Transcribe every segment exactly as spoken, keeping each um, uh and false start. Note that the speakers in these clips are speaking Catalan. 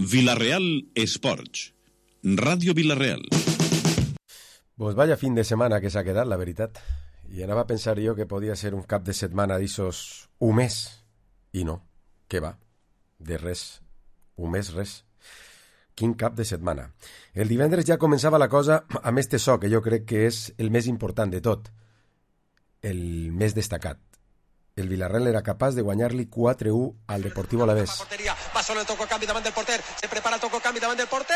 Villarreal Esports, Ràdio Villarreal. Pues vaya fin de setmana que s'ha quedat, la veritat. I anava a pensar jo que podia ser un cap de setmana d'issos un mes. I no, què va? De res. Un mes, res. Quin cap de setmana. El divendres ja començava la cosa amb este so, que jo crec que és el més important de tot. El més destacat. El Villarreal era capaç de guanyar-li quatre a u al Deportivo Alavés. Va solo el toco canvi davant del porter. Se prepara el toco canvi davant del porter.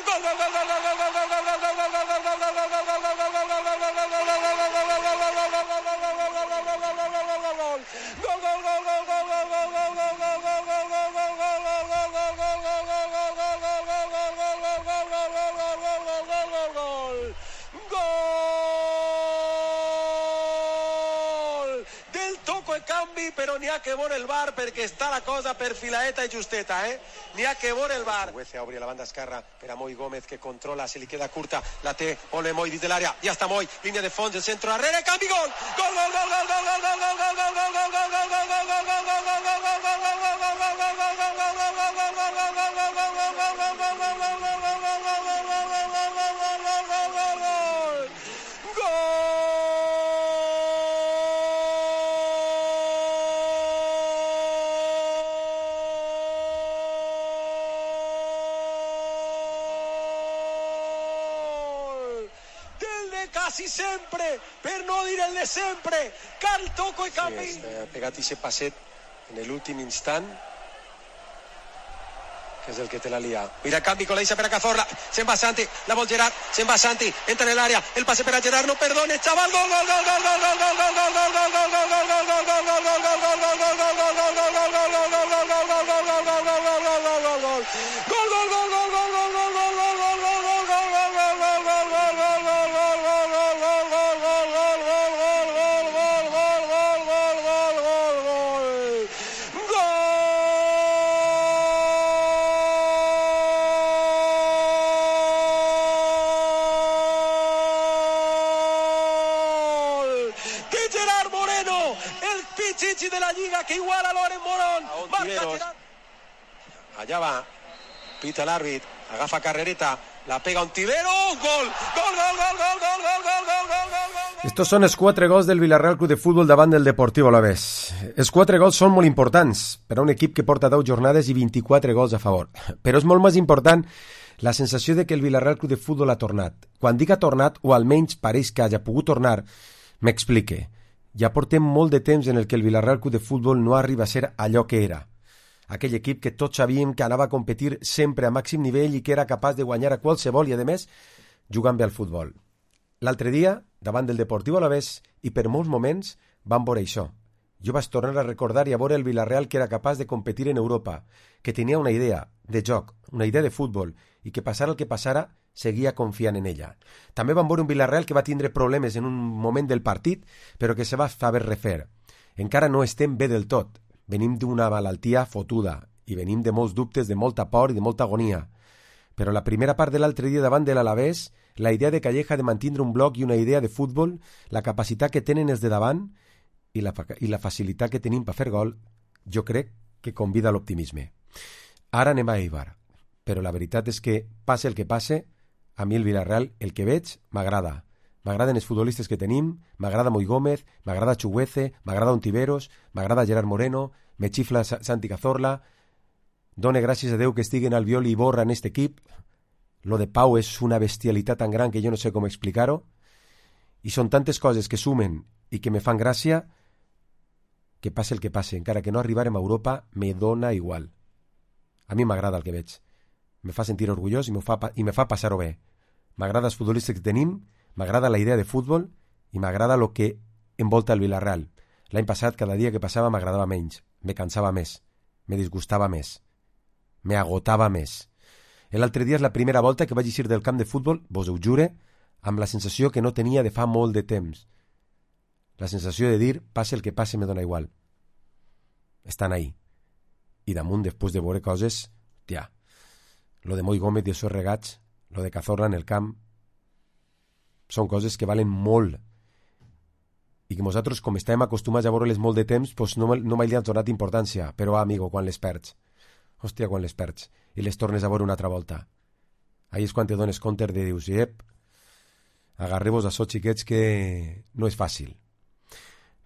Gol, gol, gol, gol, gol, gol, gol, gol, gol, gol, gol, gol, però n'hi ha que veure el bar perquè està la cosa perfiladeta i justeta, eh? N'hi ha que veure el bar. Huece obri la banda esquerra per a Moi Gómez, que controla, se li queda curta, la té, ole Moi dins de l'àrea, ja està Moi, línia de fons, el centre darrere, canvi, gol! Gol, gol, gol, gol, gol, gol, gol, gol, gol, gol, gol, gol, gol, gol, gol, gol, gol, gol, gol, gol, quasi sempre, per no dir el de sempre, cal toco i canvi. Sí, ha pegat aquest passet en l'últim instant, que és el que te la lia. Mira, canvi, coleixa per a Cazorla, se'n va Santi, la vol Gerard, se'n va Santi, entra en l'àrea, el passe per a Gerard, no perdone, xaval, gol, gol, gol, gol, gol, gol, gol, gol, gol, gol, gol, gol, gol, gol, gol, gol, gol, gol, de la Lliga, que iguala Loren Morón. Allà va, pita l'àrbit, agafa carrereta, la pega Ontivero, gol, gol, gol, gol, gol, gol, gol, gol, gol, gol, gol. Estos són els quatre gols del Villarreal Club de Futbol davant del Deportivo Alavés. Els quatre gols són molt importants per a un equip que porta deu jornades i vint-i-quatre gols a favor. Però és molt més important la sensació de que el Villarreal Club de Futbol ha tornat. Quan dic ha tornat, o almenys pareix que hagi pogut tornar, m'explique. Ja portem molt de temps en el que el Villarreal Club de Futbol no arriba a ser allò que era. Aquell equip que tots sabíem que anava a competir sempre a màxim nivell i que era capaç de guanyar a qualsevol i, a més, jugant bé al futbol. L'altre dia, davant del Deportivo Alavés, i per molts moments, vam veure això. Jo vaig tornar a recordar i a veure el Villarreal que era capaç de competir en Europa, que tenia una idea de joc, una idea de futbol, i que passara el que passara, seguia confiant en ella. També vam veure un Villarreal que va tindre problemes en un moment del partit, però que se va saber refer. Encara no estem bé del tot. Venim d'una malaltia fotuda i venim de molts dubtes, de molta por i de molta agonia. Però la primera part de l'altre dia davant de l'Alavés, la idea de Calleja de mantindre un bloc i una idea de futbol, la capacitat que tenen els de davant i la, i la facilitat que tenim per fer gol, jo crec que convida a l'optimisme. Ara anem a Eibar, però la veritat és que, passe el que passe, a mi el Villarreal, el que veig, m'agrada. M'agraden els futbolistes que tenim, m'agrada Moi Gómez, m'agrada Chuguece, m'agrada Ontiveros, m'agrada Gerard Moreno, me xifla Santi Cazorla, done gràcies a Déu que estiguen Albiol i Borra en aquest equip. Lo de Pau és una bestialitat tan gran que jo no sé com explicar-ho, i són tantes coses que sumen i que me fan gràcia que passe el que passe, encara que no arribarem a Europa, me dona igual. A mi m'agrada el que veig. Me fa sentir orgullós i me fa, i me fa passar-ho bé. M'agrada els futbolistes que tenim, m'agrada la idea de futbol i m'agrada el que envolta el Villarreal. L'any passat, cada dia que passava m'agradava menys, me cansava més, me disgustava més, me agotava més. L'altre dia és la primera volta que vaig eixir del camp de futbol, vos ho jure, amb la sensació que no tenia de fa molt de temps. La sensació de dir, passe el que passe, me dona igual. Estan ahí. I damunt, després de veure coses, tia, lo de Moi Gómez i els seus regats, lo de Cazorla en el camp, són coses que valen molt i que nosaltres, com estem acostumats a veure-les molt de temps, pues no, no mai li han donat importància, però, amigo, quan les perds hòstia, quan les perds i les tornes a veure una altra volta. Ahí és quan te dones compte de dius, ep, agarreu-vos a so, xiquets, que no és fàcil.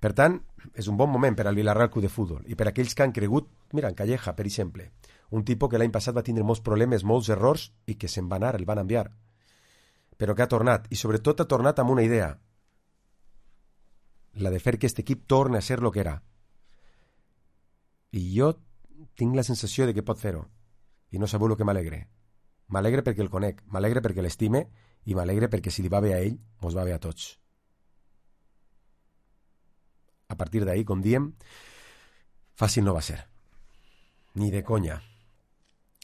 Per tant, és un bon moment per al Villarreal Club de Futbol i per aquells que han cregut, mira, en Calleja, per exemple, un tipus que l'any passat va tindre molts problemes, molts errors i que se'n va anar, el van enviar, però que ha tornat, i sobretot ha tornat amb una idea, la de fer que aquest equip torni a ser el que era. I jo tinc la sensació de que pot fer-ho, i no sabeu el que m'alegre. M'alegre perquè el conec, m'alegre perquè l'estime i m'alegre perquè si li va bé a ell, mos va bé a tots. A partir d'ahí, com diem, fàcil no va ser. Ni de conya.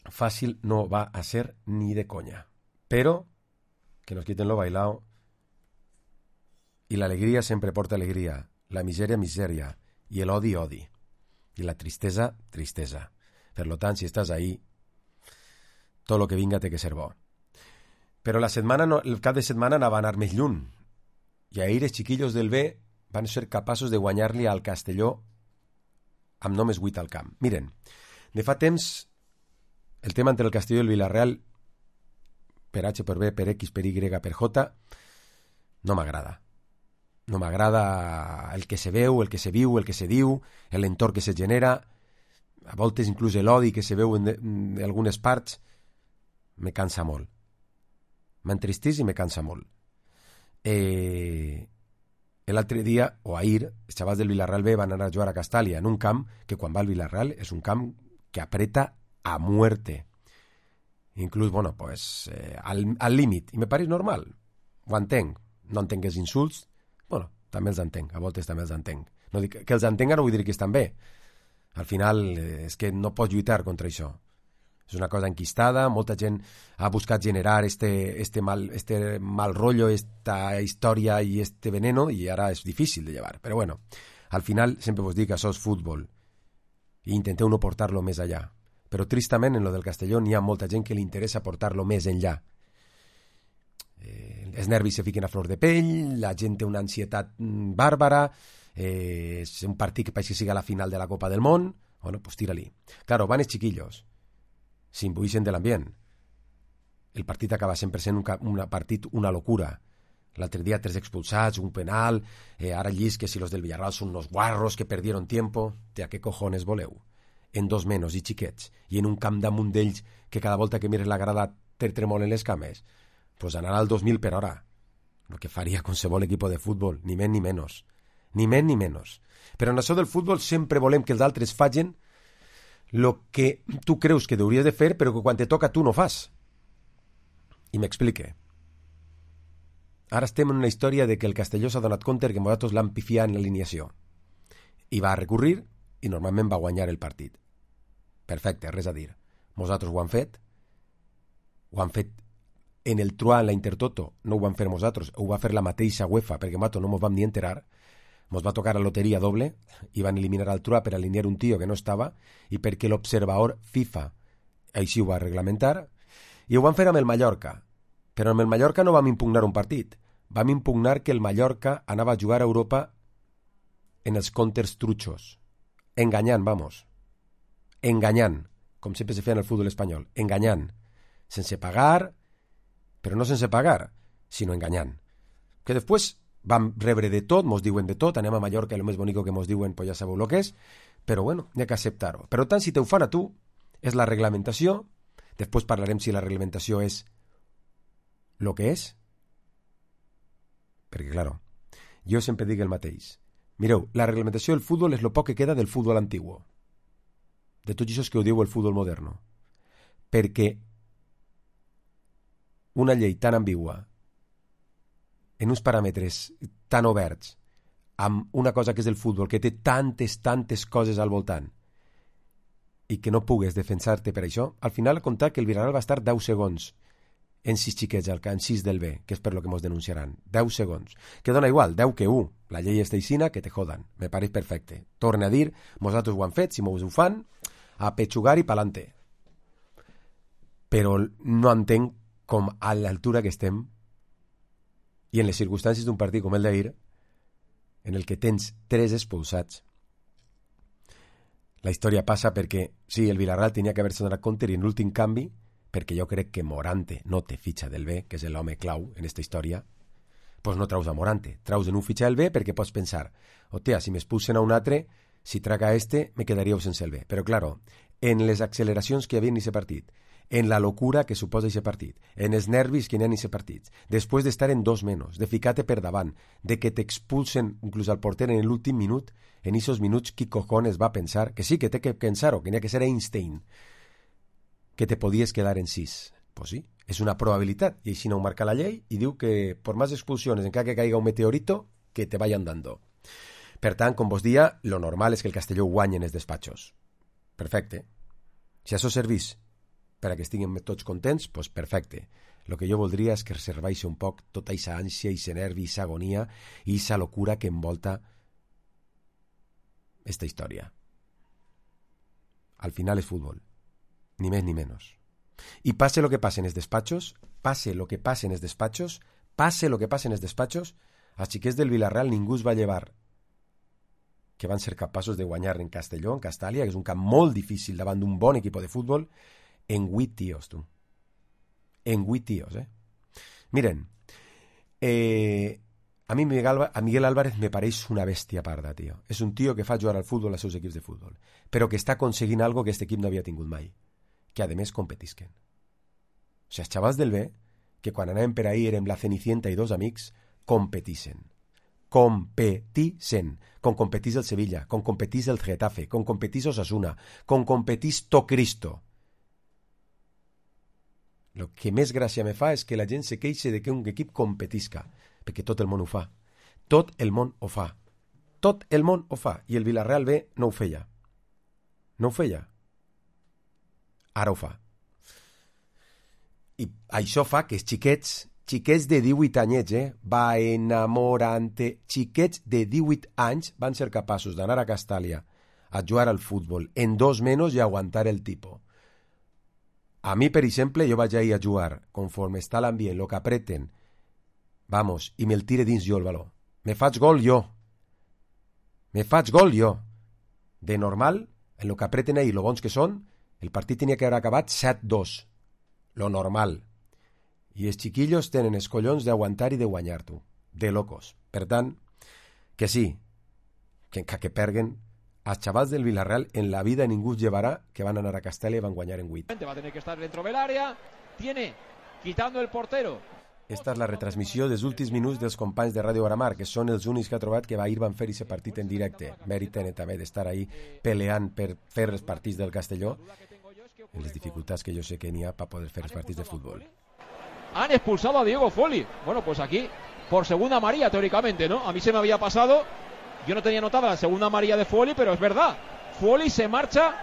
Fàcil no va a ser ni de conya. Però que nos quiten lo bailao i l'alegria sempre porta alegria, la misèria, misèria, i l'odi, odi, i la tristesa, tristesa. Per lo tant, si estàs ahí, tot el que vinga té que ser bo. Però la setmana no, el cap de setmana anava a anar més lluny, i ahir els xiquillos del B van ser capaços de guanyar-li al Castelló amb només vuit al camp. Miren, de fa temps, el tema entre el Castelló i el Villarreal, per H, per B, per X, per Y, per J, no m'agrada. No m'agrada el que se veu, el que se viu, el que se diu, l'entorn que se genera, a voltes inclús l'odi que se veu en, en algunes parts, me cansa molt. M'entristís i me cansa molt. Eh, l'altre dia, o ahir, els xavals del Villarreal B van anar a jugar a Castàlia, en un camp que quan va al Villarreal és un camp que apreta a muerte. Inclús, bueno, pues, eh, al, al límit. I me pareix normal. Ho entenc. No entenc els insults. Bueno, també els entenc. A voltes també els entenc. No dic, que els entenga no vull dir que estan bé. Al final, eh, és que no pots lluitar contra això. És una cosa enquistada, molta gent ha buscat generar este, este, mal, este mal rollo, esta història i este veneno, i ara és difícil de llevar. Però bueno, al final sempre vos dic que això és futbol i intenteu no portar-lo més allà. Però tristament en lo del Castelló n'hi ha molta gent que li interessa portar-lo més enllà. Eh, els nervis se fiquen a flor de pell, la gent té una ansietat bàrbara, eh, és un partit que pareix que siga la final de la Copa del Món, bueno, pues tira-li. Claro, van els chiquillos, s'imbuixen de l'ambient. El partit acaba sempre sent un, un partit, una locura. L'altre dia tres expulsats, un penal, eh, ara llis que si los del Villarreal són unos guarros que perdieron tiempo. ¿De a qué cojones voleu? En dos menos i xiquets, i en un camp damunt d'ells que cada volta que mires la grada te tremolen les cames, pues anar al dos mil per hora, el que faria qualsevol equip de futbol, ni més ni menys, ni més ni menys. Però en això del futbol sempre volem que els altres facin el que tu creus que hauries de fer, però que quan te toca tu no fas. I m'explique. Ara estem en una història de que el Castelló s'ha donat compte que nosaltres l'han pifiat en l'alineació. I va recurrir i normalment va guanyar el partit. Perfecte, res a dir. Nosaltres ho han fet. Ho han fet en el Truà, en la Intertoto. No ho van fer nosaltres, ho va fer la mateixa UEFA, perquè nosaltres no mos vam ni enterar. Mos va tocar la loteria doble i van eliminar al Truà per alinear un tio que no estava i perquè l'observador FIFA així ho va reglamentar. I ho van fer amb el Mallorca. Però amb el Mallorca no vam impugnar un partit. Vam impugnar que el Mallorca anava a jugar a Europa en els comptes truchos. Enganyant, vamos. Enganyant, com sempre se feia en el futbol espanyol. Enganyant. Sense pagar, però no sense pagar, sinó enganyant. Que després vam rebre de tot, mos diuen de tot, anem a Mallorca i el més bonico que mos diuen, pues ja sabeu el que és, però bueno, n'hi ha que acceptar-ho. Per tant, si te ho fan a tu, és la reglamentació, després parlarem si la reglamentació és el que és, perquè, claro, jo sempre dic el mateix. Mireu, la reglamentació del futbol és el poc que queda del futbol antiguo, de tot això que ho diu el futbol moderno, perquè una llei tan ambigua, en uns paràmetres tan oberts, amb una cosa que és el futbol, que té tantes, tantes coses al voltant, i que no pugues defensar-te per això, al final ha comptat que el Villarreal va estar deu segons en sis xiquets al camp, en sis del B, que és per lo que mos denunciaran. deu segons. Que dona igual, deu que u. La llei és teixina, que te jodan. Me pareix perfecte. Torne a dir, nosaltres ho han fet, si mos ho fan, a pechugar i pa'lante. Però no entenc com a l'altura que estem i en les circumstàncies d'un partit com el d'ahir, en el que tens tres expulsats, La història passa perquè, sí, el Villarreal tenia que haver-se donat compte i en l'últim canvi, perquè jo crec que Morante no té fitxa del B, que és l'home clau en aquesta història, doncs no traus a Morante, traus en un fitxa del B perquè pots pensar, hòstia, si m'expulsen a un altre, si traga a este, me quedaríeu sense el B. Però, claro, en les acceleracions que hi havia en aquest partit, en la locura que suposa aquest partit, en els nervis que hi ha en aquest partit, després d'estar en dos menys, de ficar-te per davant, de que t'expulsen inclús al porter en l'últim minut, en aquests minuts qui cojones va pensar que sí, que té que pensar-ho, que n'hi ha que ser Einstein, que te podies quedar en sis. Pues sí, és una probabilitat, i així no ho marca la llei, i diu que per més expulsions, encara que caiga un meteorito, que te vayan dando. Per tant, com vos dia, lo normal és que el Castelló guanyi en els despatxos. Perfecte. Si això servís per a que estiguem tots contents, doncs perfecte. El que jo voldria és que reserveixi un poc tota aquesta ànsia, aquesta nervi, aquesta agonia i aquesta locura que envolta esta història. Al final és futbol. Ni més ni menys. I passe lo que passe en els despatxos, passe lo que passe en els despatxos, passe lo que passe en els despatxos, als xiquets del Villarreal ningú es va llevar que van ser capaços de guanyar en Castelló, en Castàlia, que és un camp molt difícil davant d'un bon equip de futbol, en vuit tios, tu. En vuit tios, eh? Miren, eh, a mi Miguel, a Miguel Álvarez me pareix una bèstia parda, tio. És un tio que fa jugar al futbol als seus equips de futbol, però que està aconseguint algo que aquest equip no havia tingut mai, que a més competisquen. O sigui, els xavals del B, que quan anàvem per ahir érem la Cenicienta i dos amics, competisen. Competisen. Com competís el Sevilla, com competís el Getafe, com competís Osasuna, com competís to Cristo. El que més gràcia me fa és que la gent se queixa de que un equip competisca, perquè tot el món ho fa. Tot el món ho fa. Tot el món ho fa. I el Villarreal B no ho feia. No ho feia. Ara ho fa. I això fa que els xiquets, xiquets de divuit anyets, eh, va enamorante, xiquets de divuit anys van ser capaços d'anar a Castàlia a jugar al futbol en dos menys i aguantar el tipo. A mi, per exemple, jo vaig ahir a jugar, conforme està l'ambient, lo que apreten, vamos, i me'l tire dins jo el baló. Me faig gol jo. Me faig gol jo. De normal, en lo que apreten ahir, lo bons que són, el partit tenia que haver acabat set dos. Lo normal. I els xiquillos tenen els collons d'aguantar i de guanyar, tu. De locos. Per tant, que sí, que encara que perguen, als xavals del Villarreal en la vida ningú llevarà que van anar a Castella i van guanyar en vuit. Va a tener que estar dentro del área, tiene, quitando el portero. Esta és la retransmissió dels últims minuts dels companys de Ràdio Baramar, que són els únics que ha trobat que ahir van fer aquest partit en directe. Mèrit tenen també d'estar ahí peleant per fer els partits del Castelló, en les dificultats que jo sé que n'hi ha per poder fer els partits de futbol. Han expulsado a Diego Folli. Bueno, pues aquí, por segunda amarilla, teóricamente, ¿no? A mí se me había pasado, yo no tenía notada la segunda amarilla de Folli, pero es verdad. Folli se marcha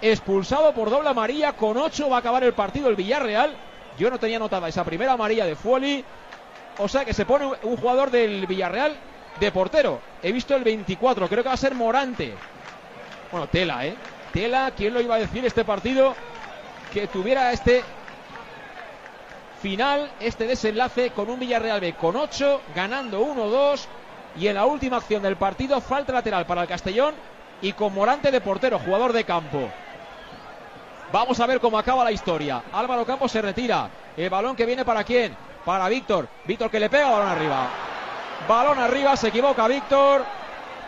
expulsado por doble amarilla, con ocho va a acabar el partido el Villarreal. Yo no tenía notada esa primera amarilla de Folli, o sea que se pone un jugador del Villarreal de portero. He visto el veinticuatro, creo que va a ser Morante. Bueno, tela, ¿eh? Tela, ¿quién lo iba a decir este partido? Que tuviera este final, este desenlace con un Villarreal B con ocho, ganando uno dos, y en la última acción del partido, falta lateral para el Castellón y con Morante de portero, jugador de campo. Vamos a ver cómo acaba la historia. Álvaro Campos se retira. El balón que viene para quién? Para Víctor. Víctor que le pega, balón arriba. Balón arriba, se equivoca Víctor.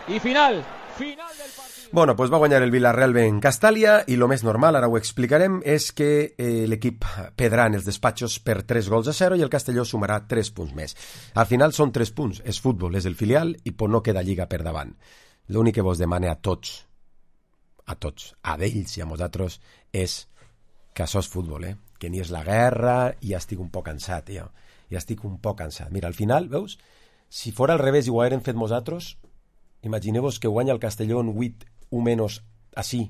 Y final. Final del partido. Bueno, pues va guanyar el Villarreal B en Castàlia i lo més normal, ara ho explicarem, és que eh, l'equip pedrà en els despatxos per tres gols a zero i el Castelló sumarà tres punts més. Al final són tres punts, és futbol, és el filial i pues no queda lliga per davant. L'únic que vos demane a tots, a tots, a d'ells i a nosaltres, és que això és futbol, eh? Que ni és la guerra i ja estic un poc cansat, tio. Ja estic un poc cansat. Mira, al final, veus, si fora al revés i ho haguérem fet nosaltres, imagineu-vos que guanya el Castelló en vuit un menys així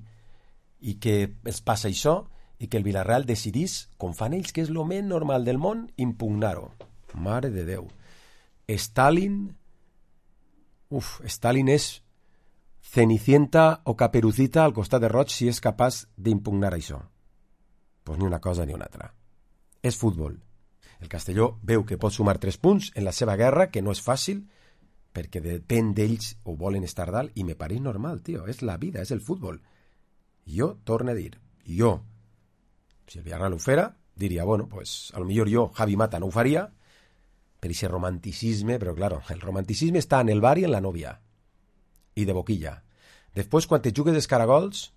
i que es passa això i que el Villarreal decidís, com fan ells, que és el més normal del món, impugnar-ho. Mare de Déu. Stalin... Uf, Stalin és Cenicienta o Caperucita al costat de Roig si és capaç d'impugnar això. Pues ni una cosa ni una altra. És futbol. El Castelló veu que pot sumar tres punts en la seva guerra, que no és fàcil, perquè depèn d'ells o volen estar dalt, i me pareix normal, tio. És la vida, és el futbol. Jo torno a dir, jo, si el Villarreal ho fera, diria, bueno, pues a lo millor jo, Javi Mata, no ho faria, per ese romanticisme, però claro, el romanticisme està en el bar i en la novia, i de boquilla. Després, quan te jugues els caragols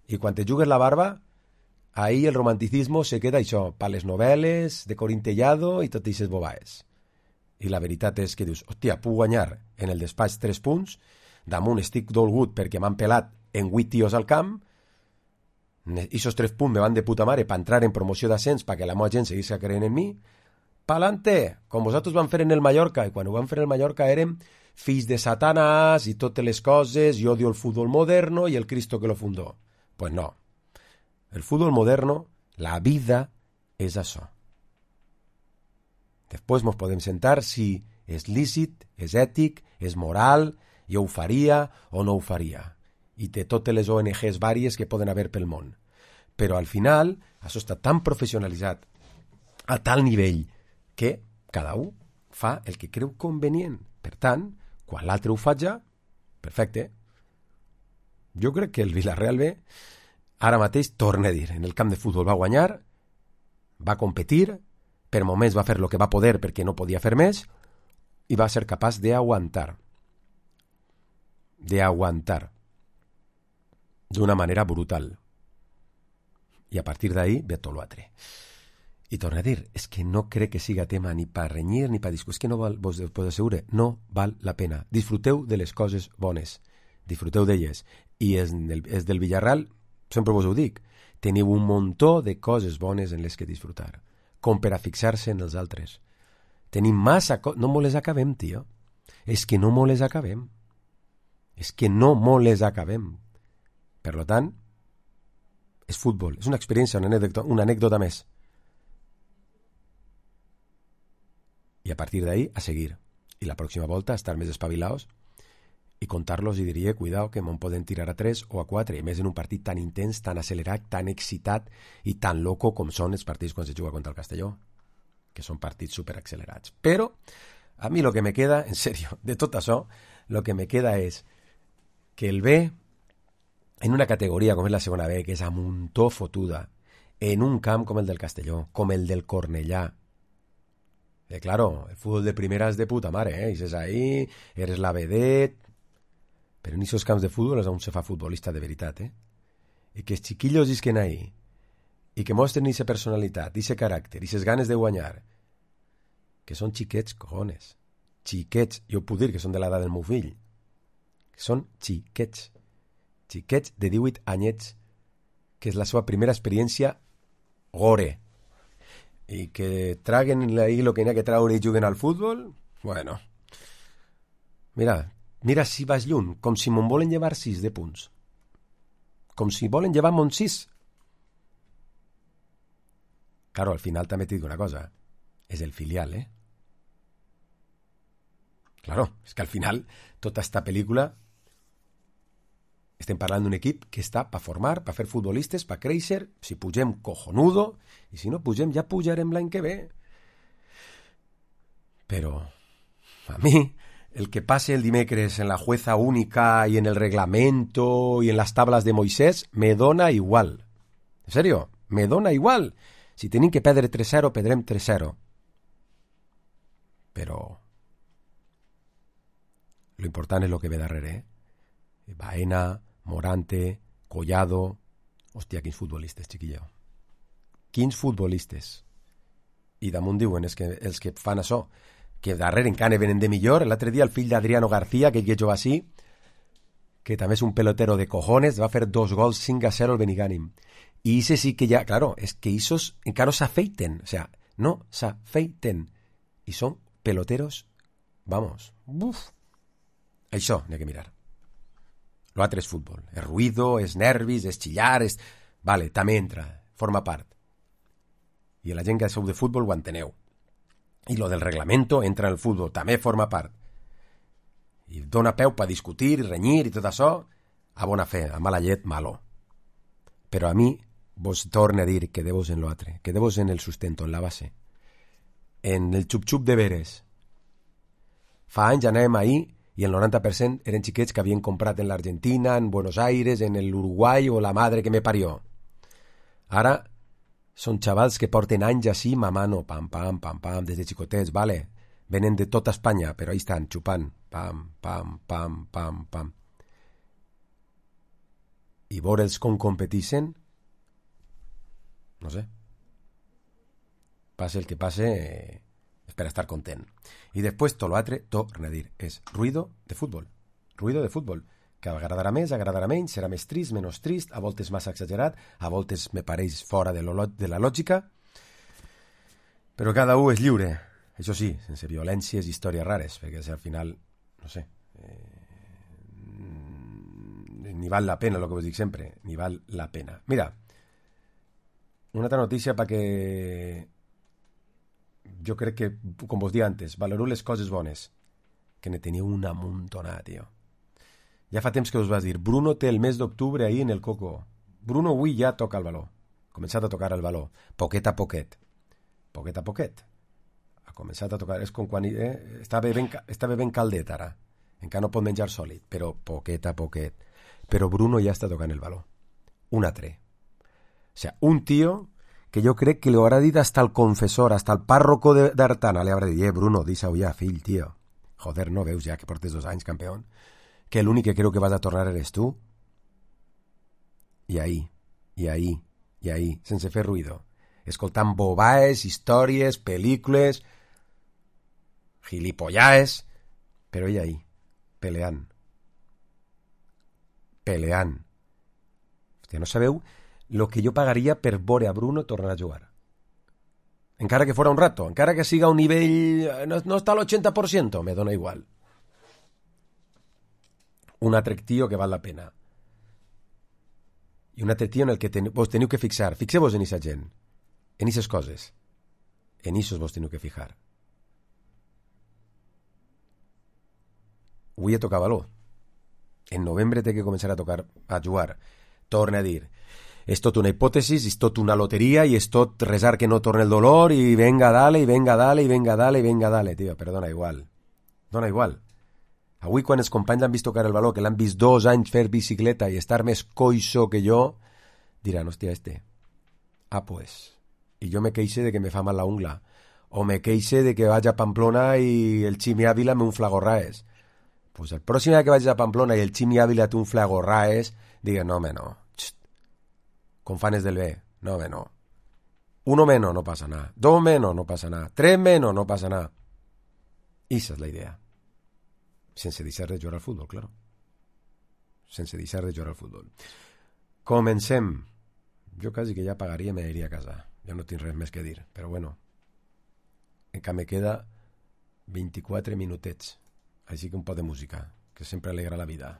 i quan te jugues la barba, ahí el romanticismo se queda això, pa les novel·les, de Corintellado i tot aquestes bobaes. I la veritat és que dius, hòstia, puc guanyar en el despatx tres punts, damunt estic dolgut perquè m'han pelat en vuit tios al camp, i esos tres punts me van de puta mare per entrar en promoció d'ascens perquè la meva gent seguís creient en mi, pa'lante, com vosaltres van fer en el Mallorca, i quan ho van fer en el Mallorca érem fills de Satanàs i totes les coses, i odio el futbol moderno i el Cristo que lo fundó. Pues no. El futbol moderno, la vida, és això. Després ens podem sentar si és lícit, és ètic, és moral, jo ho faria o no ho faria. I té totes les O N Ges vàries que poden haver pel món. Però al final, això està tan professionalitzat, a tal nivell, que cada un fa el que creu convenient. Per tant, quan l'altre ho fa ja, perfecte. Jo crec que el Villarreal B, ara mateix, torna a dir, en el camp de futbol va guanyar, va competir, per moments va fer el que va poder perquè no podia fer més, i va ser capaç d'aguantar. D'aguantar. D'una manera brutal. I a partir d'ahí ve tot l'altre. I torna a dir, és que no crec que siga tema ni per renyir ni per discutir, és que no val, vos podeu assegurar, no val la pena. Disfruteu de les coses bones, disfruteu d'elles. I és del, és del Villarreal, sempre vos ho dic, teniu un muntó de coses bones en les que disfrutar, com per a fixar-se en els altres. Tenim massa coses, no mo les acabem, tio. És que no mo les acabem. És que no mo les acabem. Per tant, és futbol, és una experiència, una anècdota, una anècdota més. I a partir d'ahí, a seguir. I la pròxima volta, estar més espavilaos i contar-los i diria, cuidao, que me'n poden tirar a tres o a quatre, i més en un partit tan intens, tan accelerat, tan excitat i tan loco com són els partits quan se juga contra el Castelló, que són partits superaccelerats. Però, a mi el que me queda, en sèrio, de tot això, el que me queda és que el B, en una categoria com és la segona B, que és a muntó fotuda, en un camp com el del Castelló, com el del Cornellà, eh, claro, el fútbol de primera és de puta mare, eh? I és ahí, eres la vedet, però en aquests camps de futbol és on se fa futbolista de veritat, eh? I que els xiquillos isquen ahí, i que mostren aquesta personalitat, aquest caràcter, aquestes ganes de guanyar, que són xiquets, cojones, xiquets, jo puc dir que són de l'edat del meu fill, que són xiquets, xiquets de divuit anyets, que és la seva primera experiència gore, i que traguen ahí lo que n'hi ha que traure i juguen al futbol, bueno, mira, mira si vas lluny, com si me'n volen llevar sis de punts, com si volen llevar mon sis. Claro, al final també t'he dit una cosa, és el filial, eh? Claro, és que al final tota esta pel·lícula estem parlant d'un equip que està per formar, per fer futbolistes, per créixer, si pugem cojonudo, i si no pugem ja pujarem l'any que ve. Però a mi el que passe el dimecres en la jueza única i en el reglamento i en les tablas de Moisés me dona igual. En serio, me dona igual. Si tenim que perdre tres zero, perdrem tres zero. Però lo important és lo que ve darrere, eh? Baena, Morante, Collado... Hòstia, quins futbolistes, xiquillo. Quins futbolistes. I damunt diuen és que els que fan això, que darrere encara venen de millor. L'altre dia el fill d'Adriano García, que jo va així, que també és un pelotero de cojones, va fer dos gols cinc a zero al Benigànim. I ese sí que ja, claro, és que esos encara no s'afeiten, o sea, no s'afeiten. I són peloteros, vamos, buf. Això n'hi ha que mirar. L'altre és futbol, és ruido, és nervis, és xillar, és... Vale, també entra, forma part. I la gent que sou de futbol ho enteneu. I lo del reglamento entra en el futbol, també forma part. I dona peu per discutir, renyir i tot això, a bona fe, a mala llet, malo. Però a mi vos torne a dir que quedeu-vos en l'altre, quedeu-vos en el sustento, en la base. En el xup-xup de veres. Fa anys anàvem ahí i el noranta per cent eren xiquets que havien comprat en l'Argentina, en Buenos Aires, en l'Uruguai o la madre que me parió. Ara són xavals que porten anys així mamant, pam, pam, pam, pam, des de xicotets, vale? Venen de tota Espanya, però ahí estan, xupant, pam, pam, pam, pam, pam. I veure'ls com competeixen, no sé. Passe el que passe, eh, és per estar content. I després, tot l'altre, torna a dir, és ruïdo de futbol. Ruïdo de futbol. Que agradarà més, agradarà menys, serà més trist, menys trist, a voltes massa exagerat, a voltes me pareix fora de, lo, de la lògica, però cada un és lliure. Això sí, sense violències i històries rares, perquè al final, no sé, eh, ni val la pena, el que vos dic sempre, ni val la pena. Mira, una altra notícia perquè jo crec que, com vos dia antes, valoreu les coses bones, que ne teniu una muntonada, tio. Ja fa temps que us vas dir, Bruno té el mes d'octubre ahir en el Coco. Bruno avui ja toca el valor. Ha començat a tocar el valor. Poquet a poquet. Poquet a poquet. Ha començat a tocar. És com quan eh, està, bevent, està bevent caldet ara. Encara no pot menjar sòlid, però poquet a poquet. Però Bruno ja està tocant el valor. Un altre. O sea, un tío que jo crec que li haurà dit hasta el confessor, hasta el párroco d'Artana, li haurà dit, eh, Bruno, deixa-ho ja, fill, tio. Joder, no veus ja que portes dos anys, campeón? Que l'únic que creu que vas a tornar eres tu? I ahí, i ahí, i ahí, sense fer ruïdo, escoltant bobaes, històries, pel·lícules, gilipollaes, però ell ahí, peleant. Peleant. Hòstia, no sabeu lo que jo pagaria per veure a Bruno tornar a jugar. Encara que fora un rato, encara que siga a un nivell... No, no està al ochenta por ciento, me dona igual. Un altre tio que val la pena. I un altre tio en el que ten... vos teniu que fixar. Fixeu-vos en aquesta gent. En aquestes coses. En aquests vos teniu que fijar. Avui he tocat valor. En novembre té que començar a tocar, a jugar. Torna a dir... És tot una hipòtesi, és tot una loteria i és tot resar que no torne el dolor i venga dale, i venga dale, i venga dale, i venga dale, tio, però dona igual. Dona igual. Avui quan els companys l'han vist tocar el valor, que l'han vist dos anys fer bicicleta i estar més coixo que jo, diran, hòstia, este. Ah, pues. I jo me queixe de que me fa mal la ungla. O me queixe de que vaig a Pamplona i el Ximi Ávila me un flagorraes. Pues el pròxim dia que vaig a Pamplona i el Ximi Ávila té un flagorraes, digue, no, home, no. Con fanes del B, no, home, no. Uno menos, no pasa nada. Dos menos, no pasa nada. Tres menos, no pasa nada. Esa es la idea. Sense deixar de jugar al futbol, claro. Sense deixar de jugar al futbol. Comencem. Jo quasi que ja pagaria i me iria a casa. Ja no tinc res més que dir. Però bueno, encara me queda vint-i-quatre minutets. Així que un poc de música, que sempre alegra la vida.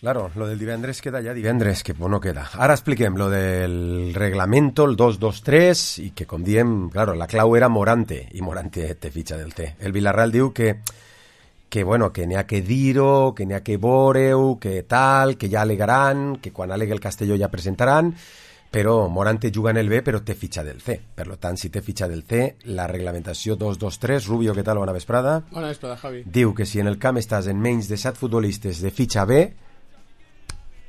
Claro, lo del divendres queda ya divendres, que no queda. Ara expliquem lo del reglamento, el dos dos tres, i que com diem, claro, la clau era Morante, i Morante te fitxa del té. El Villarreal diu que, que bueno, que n'hi ha que dir-ho, que n'hi ha que veure-ho, que tal, que ja alegaran, que quan alegue el Castelló ja presentaran, però Morante juga en el B, però té fitxa del C. Per tant, si té fitxa del C, la reglamentació dos dos tres, Rubio, què tal? Bona vesprada. Bona vesprada, Javi. Diu que si en el camp estàs en menys de set futbolistes de fitxa B,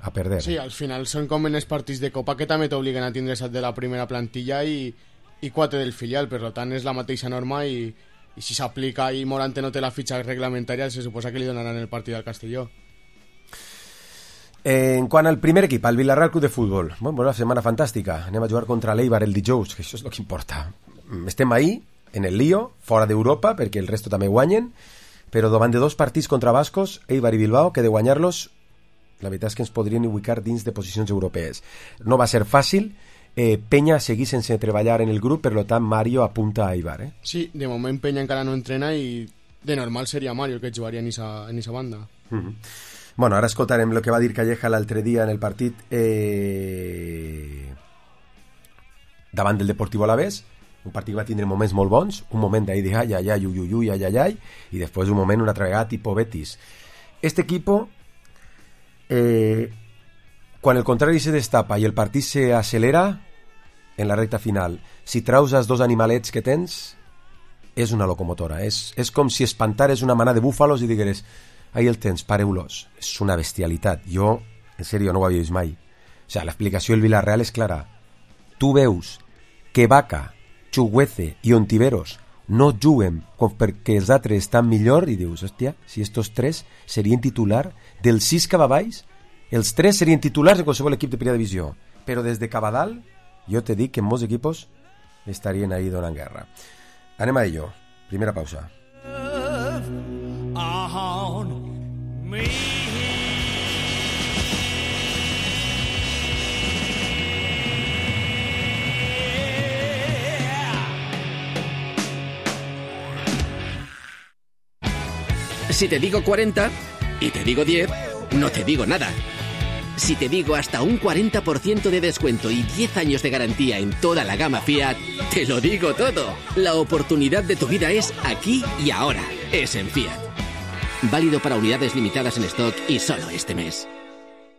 a perder. Sí, al final són com en els partits de Copa que també t'obliguen a tindre set de la primera plantilla i, i quatre del filial, per tant és la mateixa norma i, i si s'aplica i Morante no té la fitxa reglamentària se suposa que li donaran el partit al Castelló. Eh, en quant al primer equip, al Villarreal Club de Futbol, bueno, una setmana fantàstica, anem a jugar contra l'Eibar el dijous, que això és el que importa. Estem ahí, en el lío, fora d'Europa, perquè el resto també guanyen, però davant de dos partits contra bascos, Eibar i Bilbao, que de guanyar-los, la veritat és que ens podrien ubicar dins de posicions europees. No va ser fàcil, eh, Peña seguís sense treballar en el grup, per tant Mario apunta a Eibar. Eh? Sí, de moment Peña encara no entrena i de normal seria Mario el que jugaria en esa, en esa banda. Mm-hmm. Bueno, ara escoltarem el que va dir Calleja l'altre dia en el partit eh... davant del Deportivo Alavés, un partit que va tindre moments molt bons, un moment d'ahí de ai, ai, ai, ui, ui, ui, ai, ai, ai, i després un moment, una altra vegada, tipo Betis. Este equipo, eh, quan el contrari se destapa i el partit se acelera en la recta final, si traus els dos animalets que tens, és una locomotora. És, és com si espantares una manada de búfalos i digueres, ahí el tens, pareu-los. És una bestialitat. Jo, en sèrio, no ho havia vist mai. O sigui, l'explicació del Villarreal és clara. Tu veus que Vaca, Chuguece i Ontiveros no juguen perquè els altres estan millor i dius, hòstia, si estos tres serien titular dels sis que va baix, els tres serien titulars de qualsevol equip de primera divisió. Però des de Cabadal, jo te dic que en molts equipos estarien ahí donant guerra. Anem a ello. Primera pausa. Si te digo cuarenta y te digo diez, no te digo nada. Si te digo hasta un cuarenta por ciento de descuento y diez años de garantía en toda la gama Fiat, te lo digo todo. La oportunidad de tu vida es aquí y ahora. Es en Fiat. Válido para unidades limitadas en stock y solo este mes.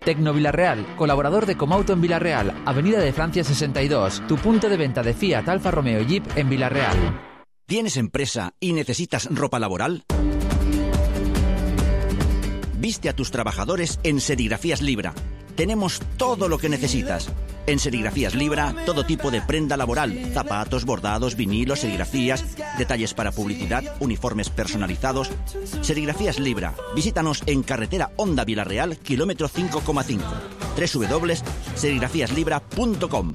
Tecno Villarreal, colaborador de Comauto en Villarreal, Avenida de Francia sesenta y dos, tu punto de venta de Fiat, Alfa Romeo y Jeep en Villarreal. ¿Tienes empresa y necesitas ropa laboral? Viste a tus trabajadores en Serigrafías Libra. Tenemos todo lo que necesitas. En Serigrafías Libra, todo tipo de prenda laboral, zapatos, bordados, vinilos, serigrafías, detalles para publicidad, uniformes personalizados. Serigrafías Libra. Visítanos en carretera Honda Villarreal, kilómetro cinco coma cinco. doble u doble u doble u punto serigrafías libra punto com.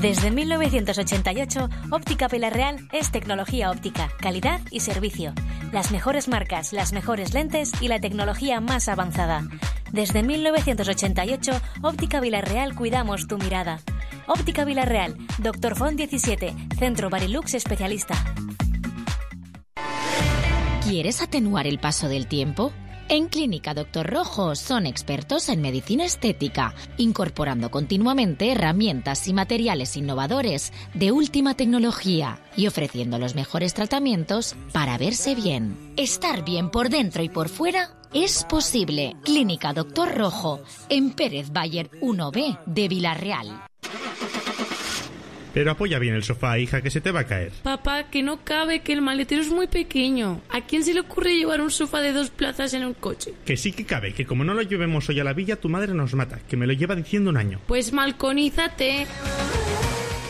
Desde mil novecientos ochenta y ocho, Óptica Villarreal es tecnología óptica, calidad y servicio. Las mejores marcas, las mejores lentes y la tecnología más avanzada. Desde mil novecientos ochenta y ocho, Óptica Villarreal cuidamos tu mirada. Óptica Villarreal, Doctor Font diecisiete, Centro Barilux Especialista. ¿Quieres atenuar el paso del tiempo? En Clínica Doctor Rojo son expertos en medicina estética, incorporando continuamente herramientas y materiales innovadores de última tecnología y ofreciendo los mejores tratamientos para verse bien. Estar bien por dentro y por fuera es posible. Clínica Doctor Rojo, en Pérez Bayer uno B de Villarreal. Pero apoya bien el sofá, hija, que se te va a caer. Papá, que no cabe, que el maletero es muy pequeño. ¿A quién se le ocurre llevar un sofá de dos plazas en un coche? Que sí que cabe, que como no lo llevemos hoy a la villa, tu madre nos mata, que me lo lleva diciendo un año. Pues malconízate.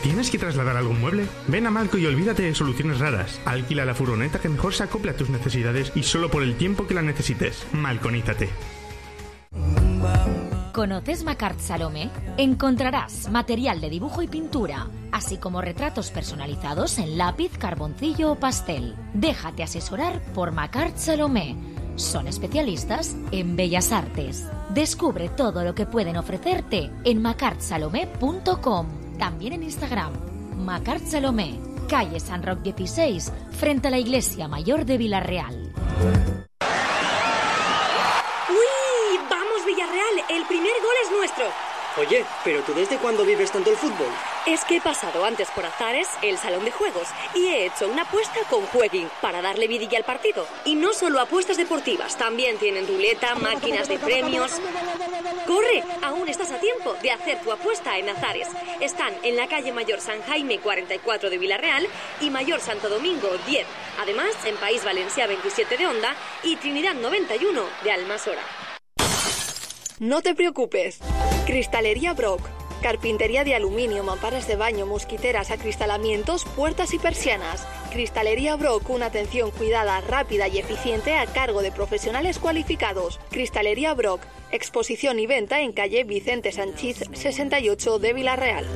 ¿Tienes que trasladar algún mueble? Ven a Malco y olvídate de soluciones raras. Alquila la furgoneta que mejor se acople a tus necesidades y solo por el tiempo que la necesites. Malconízate. ¿Conoces Macart Salomé? Encontrarás material de dibujo y pintura, así como retratos personalizados en lápiz, carboncillo o pastel. Déjate asesorar por Macart Salomé. Son especialistas en bellas artes. Descubre todo lo que pueden ofrecerte en macart salomé punto com. También en Instagram, Macart Salomé, calle San Roc dieciséis, frente a la Iglesia Mayor de Villarreal. Villarreal, el primer gol es nuestro. Oye, ¿pero tú desde cuándo vives tanto el fútbol? Es que he pasado antes por Azares, el salón de juegos, y he hecho una apuesta con Jueguin para darle vidilla al partido. Y no solo apuestas deportivas, también tienen ruleta, máquinas de premios. ¡Corre! Aún estás a tiempo de hacer tu apuesta en Azares. Están en la calle Mayor San Jaime cuarenta y cuatro de Villarreal y Mayor Santo Domingo diez. Además, en País Valencià veintisiete de Onda y Trinidad noventa y uno de Almasora. No te preocupes. Cristalería Brock. Carpintería de aluminio, mamparas de baño, mosquiteras, acristalamientos, puertas y persianas. Cristalería Brock, una atención cuidada, rápida y eficiente a cargo de profesionales cualificados. Cristalería Brock, exposición y venta en calle Vicente Sanchís sesenta y ocho de Vila-real.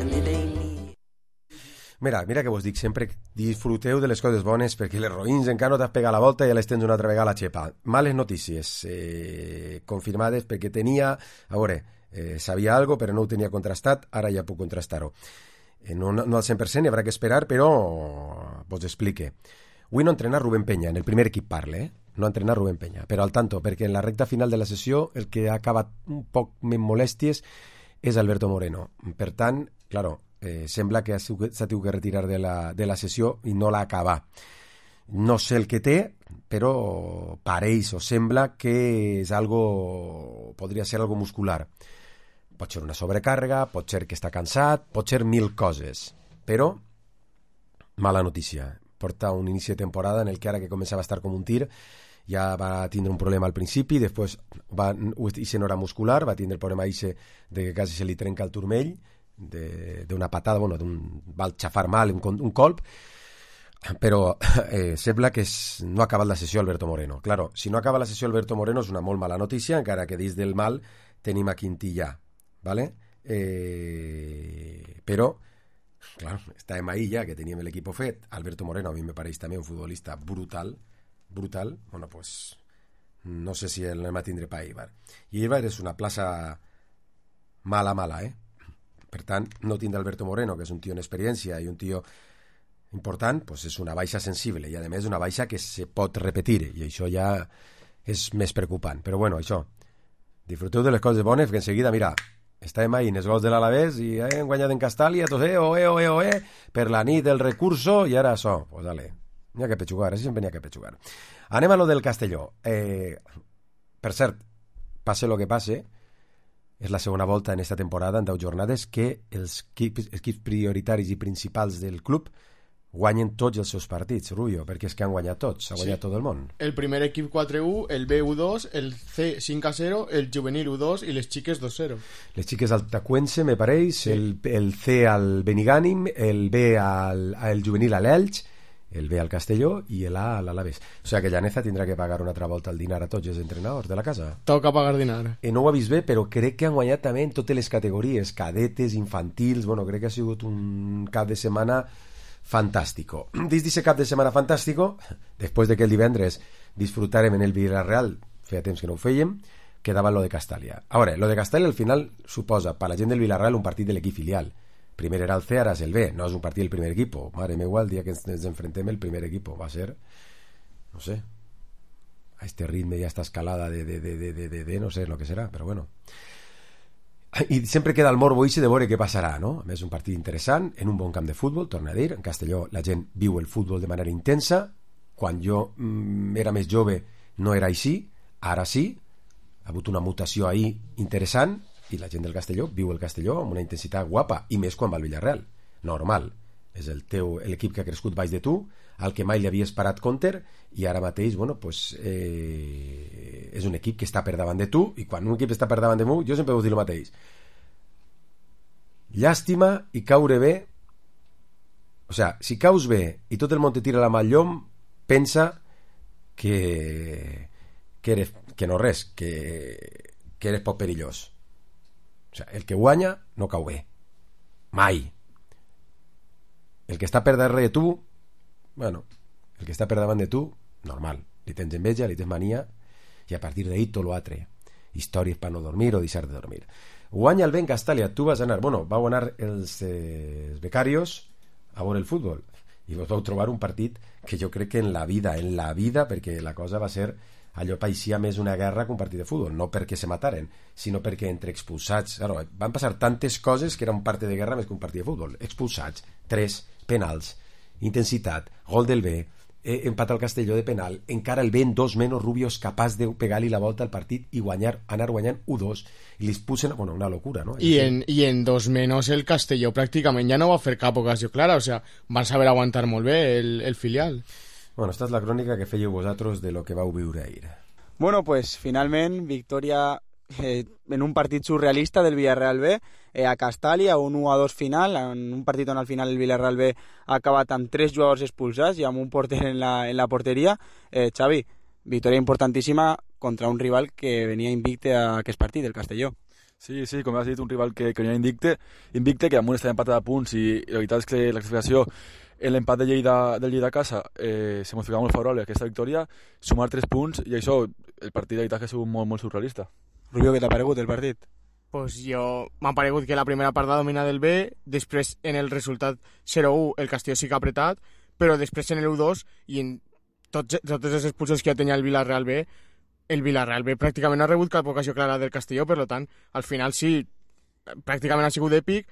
Mira, mira que vos dic sempre, disfruteu de les coses bones perquè les roïns encara no t'has pegat la volta i ja les tens una altra vegada a la xepa. Males notícies, eh, confirmades perquè tenia, a veure, eh, sabia algo però no ho tenia contrastat, ara ja puc contrastar-ho. Eh, no, no al cent per cent, hi haurà que esperar, però vos explique. Avui no entrena Rubén Peña, en el primer equip parle, eh? No entrena Rubén Peña, però al tanto, perquè en la recta final de la sessió el que ha acabat un poc més molèsties és Alberto Moreno. Per tant, claro, Eh, sembla que s'ha tingut que retirar de la, de la sessió i no l'ha acabat. No sé el que té, però pareix o sembla que és algo, podria ser algo muscular. Pot ser una sobrecàrrega, pot ser que està cansat, pot ser mil coses. Però, mala notícia. Porta un inici de temporada en el que ara que començava a estar com un tir, ja va tindre un problema al principi, després va, ixe no era muscular, va tindre el problema ixe de que quasi se li trenca el turmell, d'una patada, bueno, d'un, va xafar mal un, un colp, però eh, sembla que es, no ha acabat la sessió Alberto Moreno. Claro, si no acaba la sessió Alberto Moreno és una molt mala notícia, encara que dins del mal tenim a Quintillà, ¿vale? Eh, però, claro, estàvem ahí ja, que teníem l'equip fet. Alberto Moreno a mi me pareix també un futbolista brutal, brutal, bueno, pues no sé si el va tindre pa Eibar. I Eibar és una plaça mala, mala, eh? Per tant, no tindre Alberto Moreno, que és un tio en experiència i un tio important, pues és una baixa sensible i a més una baixa que se pot repetir i això ja és més preocupant. Però bueno, això, disfruteu de les coses bones que enseguida, mira, estàvem ahí en els gols de l'Alavés i eh, hem guanyat en Castàlia, tots eh, oe, oe, oe, per la nit del recurso i ara això, pues dale, n'hi ha que pechugar, així sempre n'hi ha que pechugar. Anem a lo del Castelló. Eh, per cert, passe lo que passe, és la segona volta en esta temporada, en deu jornades, que els equips, equips prioritaris i principals del club guanyen tots els seus partits, Rubio, perquè és que han guanyat tots, ha guanyat sí. Tot el món. El primer equip quatre u, el B u dos, el C cinc a zero, el juvenil u dos i les xiques dos zero. Les xiques al Tacuense, me pareix, sí. el, el C al Benigànim, el B al el juvenil a l'Elx, el B al Castelló i l'A a l'Alavés. O sigui que Llaneza tindrà que pagar una altra volta el dinar a tots els entrenadors de la casa. Toca pagar dinar. Eh, no ho ha vist bé, però crec que han guanyat també en totes les categories, cadetes, infantils, bueno, crec que ha sigut un cap de setmana fantàstico. Dins d'aquest cap de setmana fantàstico, després de que el divendres disfrutarem en el Villarreal, feia temps que no ho fèiem, quedava lo de Castàlia. A veure, lo de Castàlia al final suposa per la gent del Villarreal un partit de l'equip filial. Primer era el C, ara és el B, no és un partit del primer equip. Mare meva, el dia que ens enfrentem el primer equip va ser, no sé, a este ritme i a esta escalada de, de, de, de, de, de no sé lo que serà, però bueno. I sempre queda el morbo ixe de veure què passarà, no? A més, un partit interessant, en un bon camp de futbol, torna a dir, en Castelló la gent viu el futbol de manera intensa, quan jo mm, era més jove no era així, ara sí, ha hagut una mutació ahí interessant, i la gent del Castelló viu el Castelló amb una intensitat guapa, i més quan va al Villarreal. Normal. És el teu l'equip que ha crescut baix de tu, al que mai li havies parat compter, i ara mateix, bueno, pues, eh, és un equip que està per davant de tu, i quan un equip està per davant de tu, jo sempre vull dir el mateix. Llàstima i caure bé. O sigui, si caus bé i tot el món te tira la mà al llom, pensa que que, eres, que no res, que, que eres poc perillós. O sigui, el que guanya no cau bé. Mai. El que està per darrere de tu, bueno, el que està per davant de tu, normal. Li tens enveja, li tens mania, i a partir d'ahí tot l'altre. Històries per no dormir o deixar de dormir. Guanya el Ben Castàlia, tu vas anar, bueno, vau anar els, eh, els becarios a veure el futbol, i vos vau trobar un partit que jo crec que en la vida, en la vida, perquè la cosa va ser... allò paeixia més una guerra que un partit de futbol, no perquè se mataren, sinó perquè entre expulsats, claro, van passar tantes coses que era un partit de guerra més que un partit de futbol. Expulsats, tres, penals, intensitat, gol del B, eh, empat al Castelló de penal, encara el B en dos menys, Rubio és capaç de pegar-li la volta al partit i guanyar, anar guanyant u dos, i li pusen, bueno, una locura, no? I en, i en dos menys el Castelló pràcticament ja no va fer cap ocasió clara, o sea, van saber aguantar molt bé el, el filial. Bueno, esta és la crònica que fèieu vosaltres de lo que vau viure ahir. Bueno, pues finalment, victòria eh, en un partit surrealista del Villarreal B, eh, a Castàlia, un u a dos final, en un partit on al final el Villarreal B ha acabat amb tres jugadors expulsats i amb un porter en la, en la porteria. Eh, Xavi, victòria importantíssima contra un rival que venia invicte a aquest partit, el Castelló. Sí, sí, com has dit, un rival que, que venia invicte, invicte, que amunt estava empatat a punts i, i la veritat és que la classificació, l'empat de Lleida, del Lleida a casa eh, se modificava molt favorable a aquesta victòria, sumar tres punts i això, el partit de veritat que ha sigut molt, molt surrealista. Rubio, què t'ha paregut el partit? Pues jo m'ha paregut que la primera part va dominar del B, després en el resultat zero u el Castelló sí que ha apretat, però després en el u dos i en tots, totes les expulsions que ja tenia el Villarreal B, el Villarreal B pràcticament no ha rebut cap ocasió clara del Castelló, per tant, al final sí, pràcticament ha sigut èpic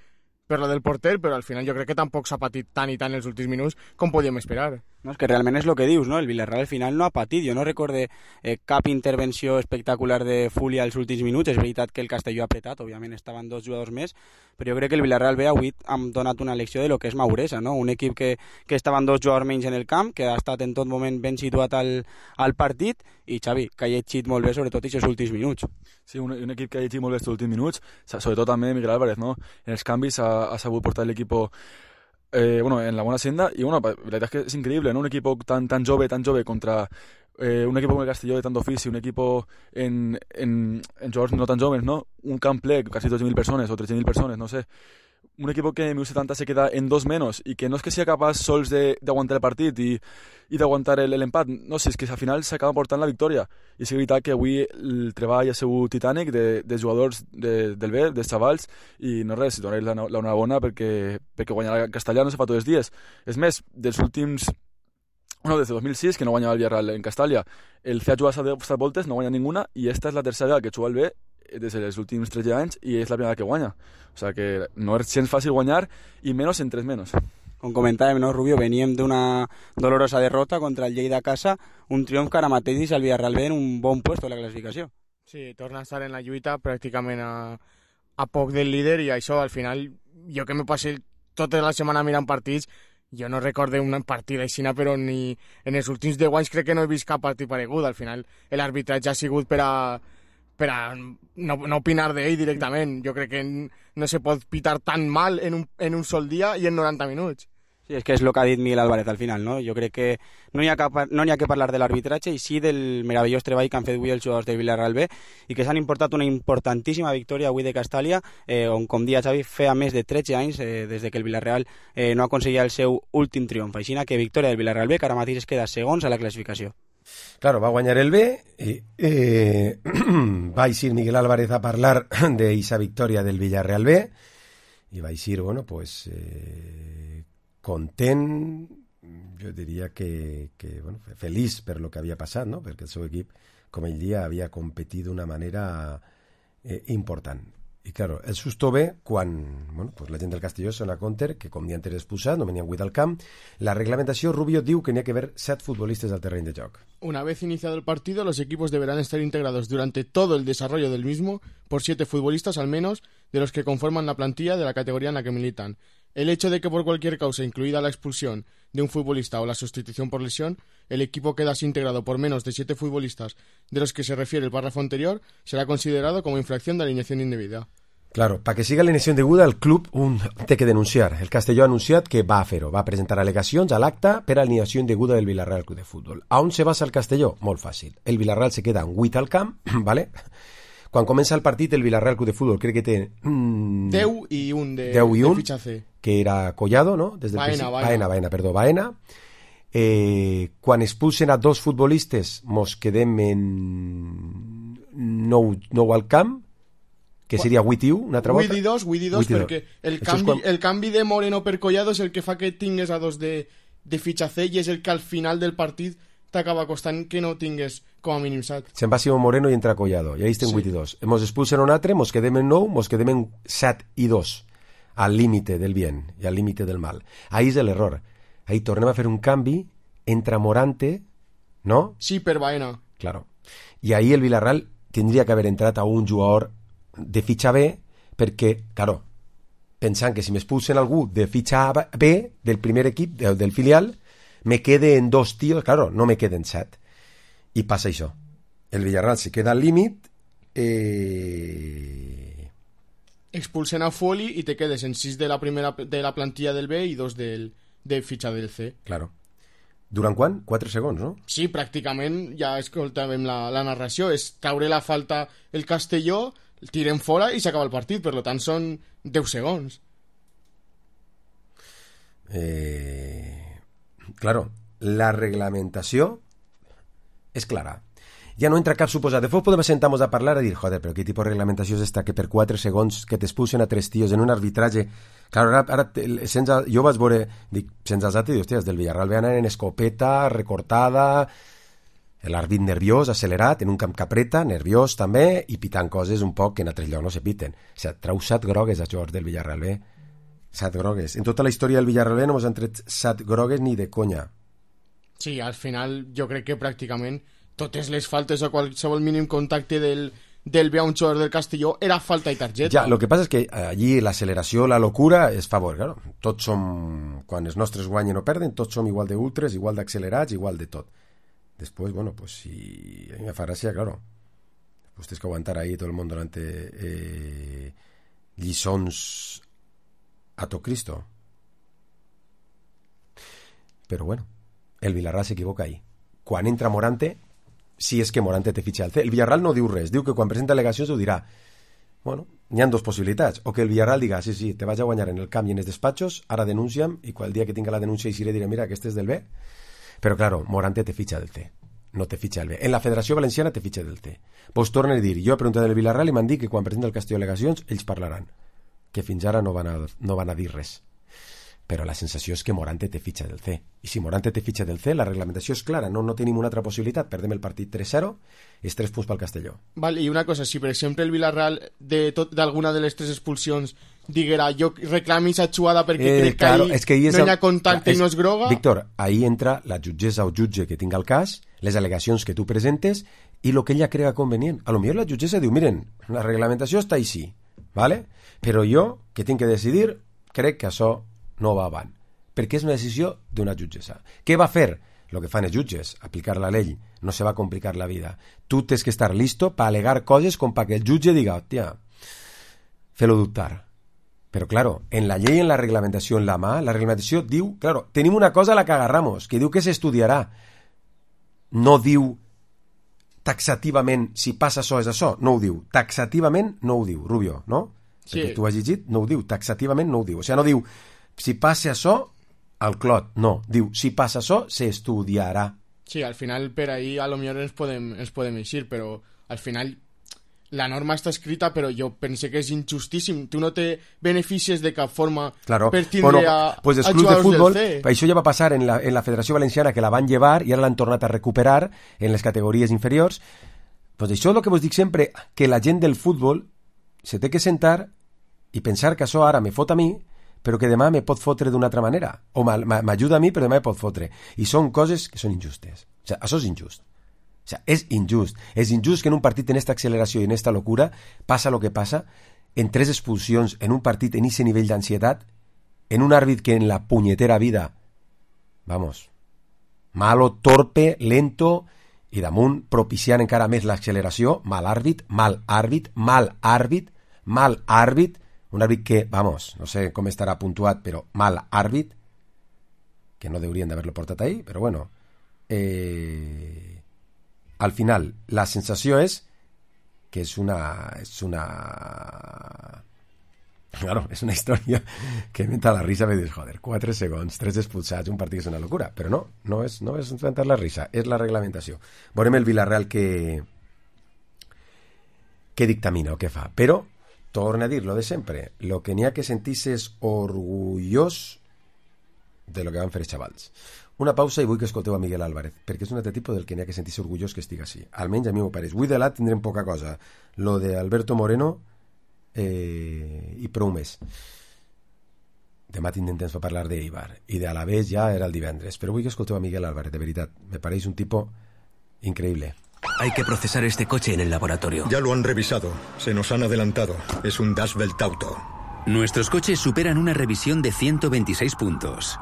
per lo del porter, però al final jo crec que tampoc s'ha patit tant i tant els últims minuts com podíem esperar. No, és que realment és el que dius, no? El Villarreal al final no ha patit. Jo no recorde eh, cap intervenció espectacular de Fulia als últims minuts. És veritat que el Castelló ha apretat, òbviament estaven dos jugadors més, però jo crec que el Villarreal B avui hem donat una lecció de lo que és maduresa, no? Un equip que, que estaven dos jugadors menys en el camp, que ha estat en tot moment ben situat al, al partit, i Xavi, que ha llegit molt bé sobretot aquests últims minuts. Sí, un, un equip que ha llegit molt bé aquests últims minuts, sobretot també Miguel Álvarez, no? En els canvis ha, ha sabut portar l'equip Eh, bueno, en la bona senda y bueno, la verdad es que es increíble, ¿no? Un equipo tan tan jove, tan jove contra eh, un equipo como el Castelló de tanto ofici, un equipo en, en, en jugadors no tan jóvenes, ¿no? Un camp ple, casi doce mil persones o trece mil persones, no sé. Un equipo que en mil setanta se queda en dos menos y que no es que sea capaz sols de, de aguantar el partit i, i d'aguantar el, el empat, no sé, és que al final s'acaba portant la victòria. I és veritat que avui el treball ha sigut titànic de, de jugadors de, del B, dels xavals, i no res, donar la, la enhorabona perquè, perquè guanyar el Castellà no se fa tots els dies. És més, dels últims... Bueno, des de dos mil sis, que no guanyava el Villarreal en Castàlia, el C ha jugat set voltes, no guanya ninguna, i esta és la tercera vegada que juga el B des dels últims tretze anys i és la primera que guanya. O sea que no és gens fàcil guanyar i menys en tres menys. Com comentàvem, no, Rubio, veníem d'una dolorosa derrota contra el Lleida a casa, un triomf que ara mateix deixa el Villarreal B en un bon puesto de la classificació. Sí, torna a estar en la lluita pràcticament a, a poc del líder, i això al final, jo que me passé tota la setmana mirant partits, jo no recorde un partit així, però ni en els últims deu anys crec que no he vist cap partit paregut. Al final l'arbitratge ha sigut per a, per a no, no opinar d'ell directament. Jo crec que no se pot pitar tan mal en un, en un sol dia i en noranta minuts. Sí, és que és el que ha dit Miguel Álvarez al final, no? Jo crec que no hi ha, cap, no hi ha que parlar de l'arbitratge i sí del meravellós treball que han fet avui els jugadors del Villarreal B i que s'han importat una importantíssima victòria avui de Castàlia, eh, on, com dia Xavi, feia més de tretze anys eh, des de que el Villarreal eh, no aconseguia el seu últim triomf. Així que victòria del Villarreal B, que ara mateix es queda segons a la classificació. Claro, va a guanyar el B y eh, va a ir Miguel Álvarez a parlar de esa victòria del Villarreal B y va a ir, bueno, pues... Eh, content, jo diria que, que bueno, feliç per lo que havia passat, no? Perquè el seu equip, com ell dia, havia competit d'una manera eh, important. I, claro, el susto ve quan bueno, pues la gent del Castelló sona Conter, que com dia antes expulsat, no venien vuit al camp. La reglamentació, Rubio diu que n'hi ha que haver set futbolistes al terreny de joc. Una vez iniciado el partido, los equipos deberán estar integrados durante todo el desarrollo del mismo por siete futbolistas al menos de los que conforman la plantilla de la categoría en la que militan. El hecho de que por cualquier causa, incluida la expulsión de un futbolista o la sustitución por lesión, el equipo queda así integrado por menos de siete futbolistas de los que se refiere el párrafo anterior, será considerado como infracción de alineación indebida. Claro, para que siga l'alineació indeguda, el club un, té que denunciar. El Castelló ha anunciat que va a fer-ho, va a presentar al·legacions a l'acte per a alineació indeguda del Villarreal Club de Futbol. A on se basa el Castelló? Molt fàcil. El Villarreal se queda en vuit al camp, ¿vale? Quan comença el partit, el Villarreal Club de Futbol crec que té... Mm, deu i un de, deu i un, de fitxatge. Que era Collado, no? Des del Baena, principi... Baena. Baena, Baena, perdó, Baena. Eh, quan expulsen a dos futbolistes, mos quedem en nou, nou al camp, que seria vuit i u, una altra volta. vuit i dos, vuit i dos, perquè el canvi, quan... el canvi de Moreno per Collado és el que fa que tingues a dos de, de fitxatge i és el que al final del partit t'acaba costant que no tingues com a mínim set. Se'n va Simón Moreno i entra Collado, i ahí estem sí. vuit i dos. Mos expulsen un altre, mos quedem en nou, mos quedem en set i dos, al límite del bien i al límite del mal. Ahí és l'error. Ahí tornem a fer un canvi, entra Morante, ¿no? Sí, per Baena. Claro. I ahí el Villarreal tindria que haver entrat a un jugador de fitxa B, perquè, claro, pensant que si m'expulsen algú de fitxa B, del primer equip, del, del filial, me quede en dos tios, claro, no me queden set. I passa això. El Villarreal se queda al límit Eh... Expulsen a Foley y te quedes en sis de la primera de la plantilla del B y dos del, de fitxa del C. Claro. Durant quan? quatre segons, no? Sí, pràcticament, ja escoltàvem la, la narració, és traure la falta el Castelló, el tiren fora i s'acaba el partit, per tant són deu segons. Eh... Claro, la reglamentació és clara. Ja no entra cap suposat. Després podem sentar-nos a parlar i dir, joder, però quin tipus de reglamentació és esta que per quatre segons que t'expulsen a tres tios en un arbitratge... Claro, ara, ara sense, jo vaig veure, dic, sense els altres, hòstia, del Villarreal veien en escopeta, recortada, l'àrbit nerviós, accelerat, en un camp que apreta, nerviós també, i pitant coses un poc que en altres llocs no se piten. O sigui, trau set grogues a jugadors del Villarreal B. Set grogues. En tota la història del Villarreal B no ens han tret set grogues ni de conya. Sí, al final jo crec que pràcticament totes les faltes o qualsevol mínim contacte del, del B a un jugador del Castelló era falta i targeta. Ja, lo que passa és que allí l'acceleració, la locura és favor, claro. Tots som, quan els nostres guanyen o perden, tots som igual de ultres, igual d'accelerats, igual de tot. Després, bueno, pues si a mi me fa gràcia, claro, pues tens que aguantar ahí todo el mundo durante eh, lliçons a tot Cristo. Però bueno, el Villarreal s'equivoca ahí. Quan entra Morante, si és que Morante te fitxa al C. El Villarreal no diu res, diu que quan presenta al·legacions ho dirà. Bueno, n'hi ha dues possibilitats. O que el Villarreal diga, sí, sí, te vaig a guanyar en el camp i en els despatxos, ara denuncia'm, i qual dia que tinga la denúncia i si diré, mira, aquest és del B. Però, claro, Morante te fitxa del C. No te fitxa del B. En la Federació Valenciana te fitxa del C. Pues torna a dir, jo he preguntat del Villarreal i m'han dit que quan presenta el Castelló al·legacions, ells parlaran. Que fins ara no van a, no van a dir res. Però la sensació és que Morante té fitxa del C. I si Morante té fitxa del C, la reglamentació és clara, no, no tenim una altra possibilitat, perdem el partit tres zero, és tres punts pel Castelló. Val, i una cosa, si per exemple el Villarreal d'alguna de, de les tres expulsions diguera, jo reclami aquesta jugada perquè eh, crec claro, que ahí, que ahí no hi ha contacte és, i no és groga... Víctor, ahí entra la jutgessa o jutge que tinga el cas, les al·legacions que tu presentes i el que ella crega convenient. A lo millor la jutgessa diu, miren, la reglamentació està així, ¿vale? Però jo, que tinc que decidir, crec que això no va avant, perquè és una decisió d'una jutgessa. Què va fer? Lo que fan els jutges, aplicar la llei, no se va complicar la vida. Tu tens que estar listo para alegar coses com para que el jutge diga, hòstia, fer-lo dubtar. Però, claro, en la llei, en la reglamentació, en la mà, la reglamentació diu, claro, tenim una cosa a la que agarramos, que diu que s'estudiarà. No diu taxativament si passa això és això, no ho diu. Taxativament no ho diu, Rubio, no? Sí. Perquè tu has llegit, no ho diu, taxativament no ho diu. O sigui, no diu si passa això, al clot, no. Diu, si passa això, s'estudiarà. Sí, al final per ahí a lo millor ens podem, ens podem eixir, però al final la norma està escrita, però jo pense que és injustíssim. Tu no te beneficies de cap forma claro. per tindre bueno, a, pues a jugadors de futbol, del C. Això ja va passar en la, en la Federació Valenciana, que la van llevar i ara l'han tornat a recuperar en les categories inferiors. Pues això és el que vos dic sempre, que la gent del futbol se té que sentar i pensar que això ara me fot a mi, però que demà me pot fotre d'una altra manera, o m'ajuda a mi però demà me pot fotre, i són coses que són injustes. O sigui, això és injust. O sigui, és injust. És injust que en un partit en esta acceleració i en esta locura passa lo que passa, en tres expulsions, en un partit en ese nivell d'ansietat, en un àrbit que en la punyetera vida, vamos, malo, torpe, lento, i damunt propiciant encara més l'acceleració, mal àrbit, mal àrbit, mal àrbit, mal àrbit, un àrbit que, vamos, no sé com estarà puntuat, però mal àrbit, que no deurien d'haver-lo portat ahí, però bueno, eh, al final, la sensació és que és una, és una, claro, és una història que m'entra la risa, me dius, joder, quatre segons, tres expulsats, un partit és una locura, però no, no és, no és entrar la risa, és la reglamentació. Veurem el Villarreal que, que dictamina o què fa, però torna a dir lo de sempre, lo que n'hi ha que sentir-se és orgullós de lo que van fer els xavals. Una pausa i vull que escolteu a Miguel Álvarez, perquè és un altre tipus del que n'hi ha que sentir-se orgullós que estigui així. Almenys a mi m'ho pareix. Avui de l'A tindrem poca cosa. Lo de Alberto Moreno eh, i prou més. Demà tindrem temps per parlar d'Eibar i de Alavés ja era el divendres, però vull que escolteu a Miguel Álvarez, de veritat. Me pareix un tipo increïble. Hay que procesar este coche en el laboratorio. Ya lo han revisado. Se nos han adelantado. Es un Das Welt Auto. Nuestros coches superan una revisión de ciento veintiséis puntos.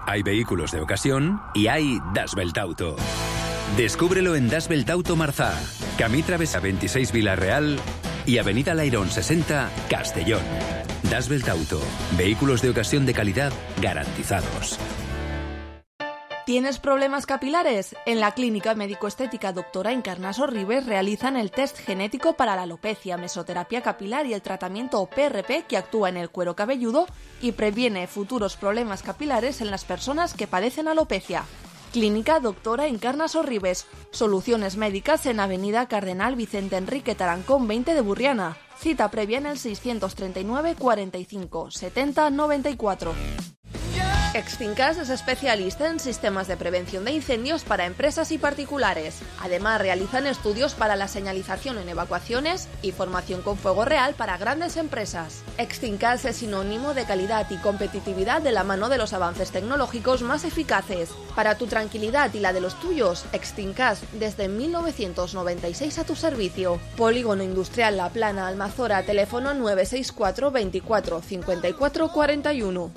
Hay vehículos de ocasión y hay Das Welt Auto. Descúbrelo en Das Welt Auto Marzá. Camí Travesa veintiséis Vila-real y Avenida Lairón sesenta, Castellón. Das Belt Auto. Vehículos de ocasión de calidad garantizados. ¿Tienes problemas capilares? En la Clínica Médico-Estética Doctora Encarnaso Ribes realizan el test genético para la alopecia, mesoterapia capilar y el tratamiento P R P que actúa en el cuero cabelludo y previene futuros problemas capilares en las personas que padecen alopecia. Clínica Doctora Encarnaso Ribes. Soluciones médicas en Avenida Cardenal Vicente Enrique Tarancón veinte de Burriana. Cita previa en el seiscientos treinta y nueve cuarenta y cinco setenta noventa y cuatro. Extincas es especialista en sistemas de prevención de incendios para empresas y particulares. Además, realizan estudios para la señalización en evacuaciones y formación con fuego real para grandes empresas. Extincas es sinónimo de calidad y competitividad de la mano de los avances tecnológicos más eficaces. Para tu tranquilidad y la de los tuyos, Extincas desde mil novecientos noventa y seis a tu servicio. Polígono Industrial La Plana, Almazora, teléfono nueve seis cuatro veinticuatro cincuenta y cuatro cuarenta y uno.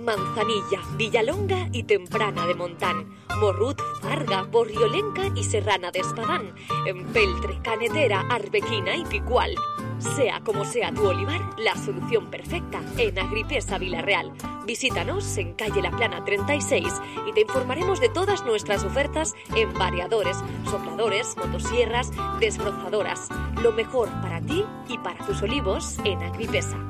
Manzanilla, Villalonga y Temprana de Montán, Morrut, Farga, Borriolenca y Serrana de Espadán, Empeltre, Canetera, Arbequina y Picual. Sea como sea tu olivar, la solución perfecta en Agripesa Vila-real. Visítanos en calle La Plana treinta y seis y te informaremos de todas nuestras ofertas en variadores, sopladores, motosierras, desbrozadoras. Lo mejor para ti y para tus olivos en Agripesa.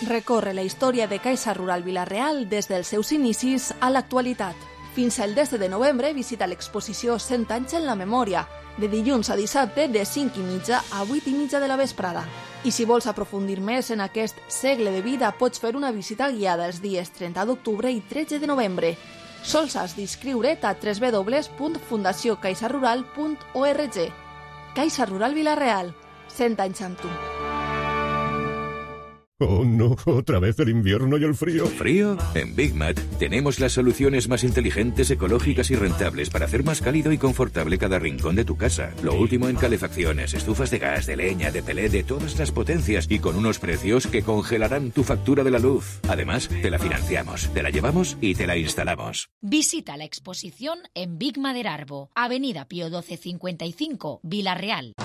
Recorre la història de Caixa Rural Vila-real des dels seus inicis a l'actualitat. Fins al desè de novembre visita l'exposició cent anys en la memòria, de dilluns a dissabte de cinc i mitja a vuit i mitja de la vesprada. I si vols aprofundir més en aquest segle de vida, pots fer una visita guiada els dies trenta d'octubre i tretze de novembre. Sols has d'inscriure't a w w w punt fundació caixa rural punt org. Caixa Rural Vila-real, cent anys amb tu. Oh no, otra vez el invierno y el frío. ¿Frío? En Big Mat tenemos las soluciones más inteligentes, ecológicas y rentables para hacer más cálido y confortable cada rincón de tu casa. Lo último en calefacciones, estufas de gas, de leña, de pelé, de todas las potencias y con unos precios que congelarán tu factura de la luz. Además, te la financiamos, te la llevamos y te la instalamos. Visita la exposición en Big Maderarbo, Avenida Pío doce cincuenta y cinco, Vila-real.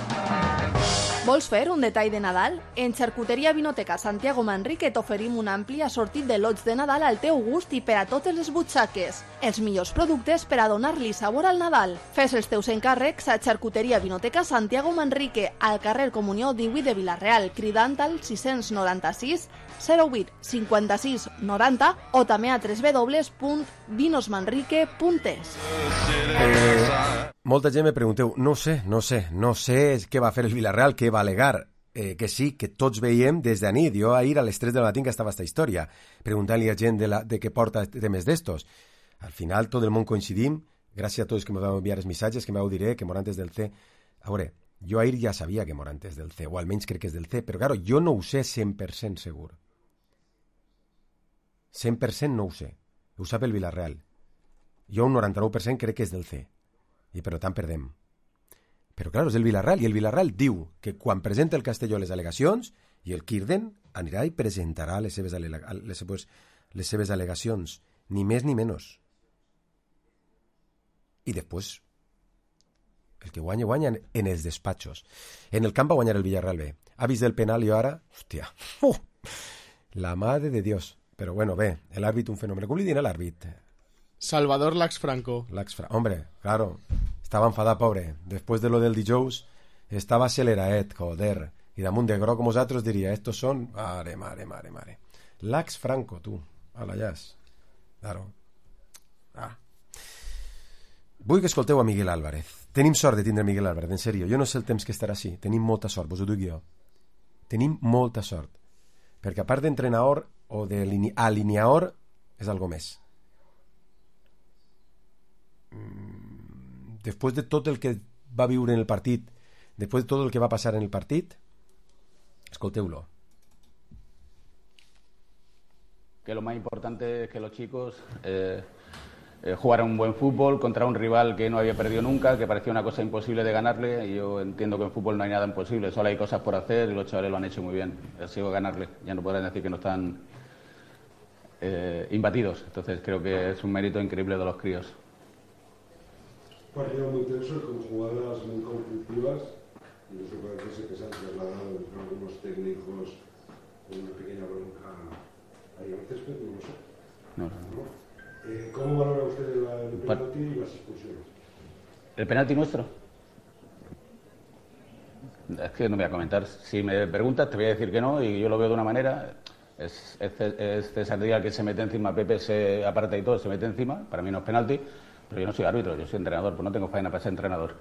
Vols fer un detall de Nadal? En Xarcuteria Vinoteca Santiago Manrique t'oferim un ampli assortit de lots de Nadal al teu gust i per a totes les butxaques. Els millors productes per a donar-li sabor al Nadal. Fes els teus encàrrecs a Xarcuteria Vinoteca Santiago Manrique, al carrer Comunió divuit de Vila-real, cridant al sis noranta sis zero vuit cinquanta-sis noranta o també a w w w punt vinosmanrique punt es. Eh, molta gent me pregunteu, no sé, no sé, no sé què va fer el Vila-real, què va alegar, eh, que sí, que tots veiem des de nit. Jo ahir a les tres de la matí que estava esta història, preguntant-li a gent de, la, de què porta temes d'estos. Al final tot el món coincidim, gràcies a tots que me vau enviar els missatges, que me vau dir que Morantes del C. A veure, jo ahir ja sabia que Morantes del C, o almenys crec que és del C, però claro, jo no ho sé cent per cent segur. cent per cent no ho sé. Ho sap el Vila-real. Jo un noranta-nou per cent crec que és del C. I per tant perdem. Però clar, és el Vila-real, i el Vila-real diu que quan presenta el Castelló les al·legacions, i el Kirden anirà i presentarà les seves, alega- les seves, les seves al·legacions, ni més ni menys. I després, el que guanya, guanya en els despatxos. En el camp va guanyar el Villarreal B. Ha vist el penal i ara, hòstia, uh, la madre de Dios. Però bueno, bé, l'àrbit un fenomen. Com li dirà l'àrbit? Salvador Lax Franco. Lax Franco. Hombre, claro, estava enfadat, pobre. Després de lo del dijous, estava aceleraet, joder. I damunt de groc, com vosaltres diria, estos són... Mare, mare, mare, mare. Lax Franco, tu, a la jazz. Claro. Ah. Vull que escolteu a Miguel Álvarez. Tenim sort de tindre Miguel Álvarez, en sèrio. Jo no sé el temps que estarà així. Tenim molta sort, vos ho dic jo. Tenim molta sort. Perquè a part d'entrenador o d'alineador, és algo més. Després de tot el que va viure en el partit, després de tot el que va passar en el partit, escolteu-lo. Que lo más importante es que los chicos eh, eh, jugaran un buen fútbol contra un rival que no había perdido nunca, que parecía una cosa imposible de ganarle, y yo entiendo que en fútbol no hay nada imposible, solo hay cosas por hacer y los chavales lo han hecho muy bien. Ha sido ganarle, ya no podrán decir que no están eh, imbatidos, entonces creo que es un mérito increíble de los críos. partido muy tenso con jugadas muy conflictivas. Incluso parece que se han trasladado entre algunos técnicos con una pequeña bronca ahí al césped, no lo sé. No, no. Eh, ¿Cómo valora usted la, el penalti y las expulsiones? ¿El penalti nuestro? Es que no voy a comentar. Si me preguntas, te voy a decir que no, y yo lo veo de una manera. Es, es, es César Díaz que se mete encima, Pepe se aparta y todo, se mete encima. Para mí no es penalti, pero yo no soy árbitro, yo soy entrenador, pues no tengo faena para ser entrenador.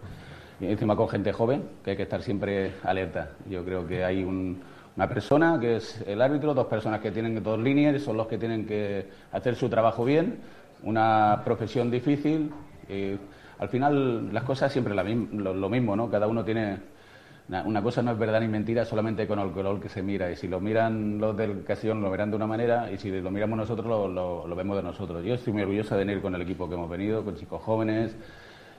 Y encima con gente joven, que hay que estar siempre alerta. Yo creo que hay un, una persona que es el árbitro, dos personas que tienen dos líneas, son los que tienen que hacer su trabajo bien, una profesión difícil. Y al final las cosas siempre la, lo, lo mismo, ¿no? Cada uno tiene... Una cosa no es verdad ni mentira solamente con el color que se mira, y si lo miran los del Castellón lo verán de una manera, y si lo miramos nosotros lo, lo, lo vemos de nosotros. Yo estoy muy orgulloso de venir con el equipo que hemos venido, con chicos jóvenes,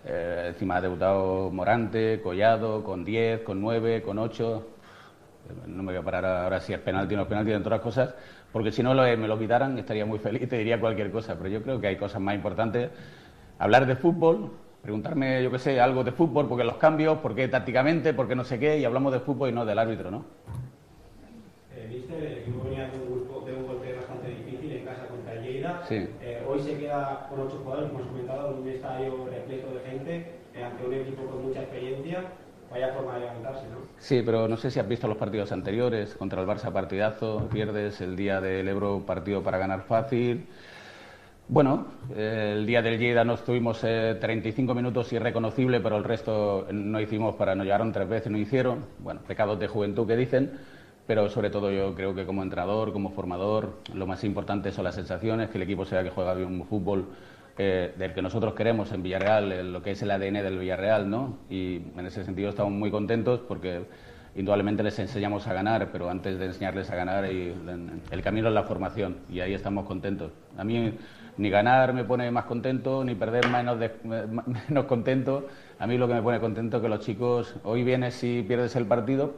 eh, encima ha debutado Morante, Collado, con diez, con nueve, con ocho. No me voy a parar ahora si es penalti o no es penalti, en todas las cosas, porque si no lo, me lo quitaran estaría muy feliz, te diría cualquier cosa, pero yo creo que hay cosas más importantes. Hablar de fútbol, preguntarme, yo qué sé, algo de fútbol, porque los cambios, por qué tácticamente, por qué no sé qué, y hablamos de fútbol y no del árbitro, ¿no? Eh, Viste, el equipo venía de un, grupo, de un golpe bastante difícil en casa contra el Lleida. Sí. Eh, hoy se queda con ocho jugadores, como has comentado, en un estadio repleto de gente, eh, ante un equipo con mucha experiencia. Vaya forma de levantarse, ¿no? Sí, pero no sé si has visto los partidos anteriores, contra el Barça partidazo, pierdes el día del Ebro, partido para ganar fácil. Bueno, eh, el día del Lleida no estuvimos eh, treinta y cinco minutos irreconocible, pero el resto no hicimos para, nos llegaron tres veces, no hicieron. Bueno, pecados de juventud que dicen, pero sobre todo yo creo que como entrenador, como formador, lo más importante son las sensaciones, que el equipo sea que juega bien un fútbol eh, del que nosotros queremos en Villarreal, en lo que es el A D N del Villarreal, ¿no? Y en ese sentido estamos muy contentos porque indudablemente les enseñamos a ganar, pero antes de enseñarles a ganar, y, el camino es la formación, y ahí estamos contentos. A mí ni ganar me pone más contento, ni perder menos, de, menos contento. A mí lo que me pone contento es que los chicos, hoy vienes y pierdes el partido,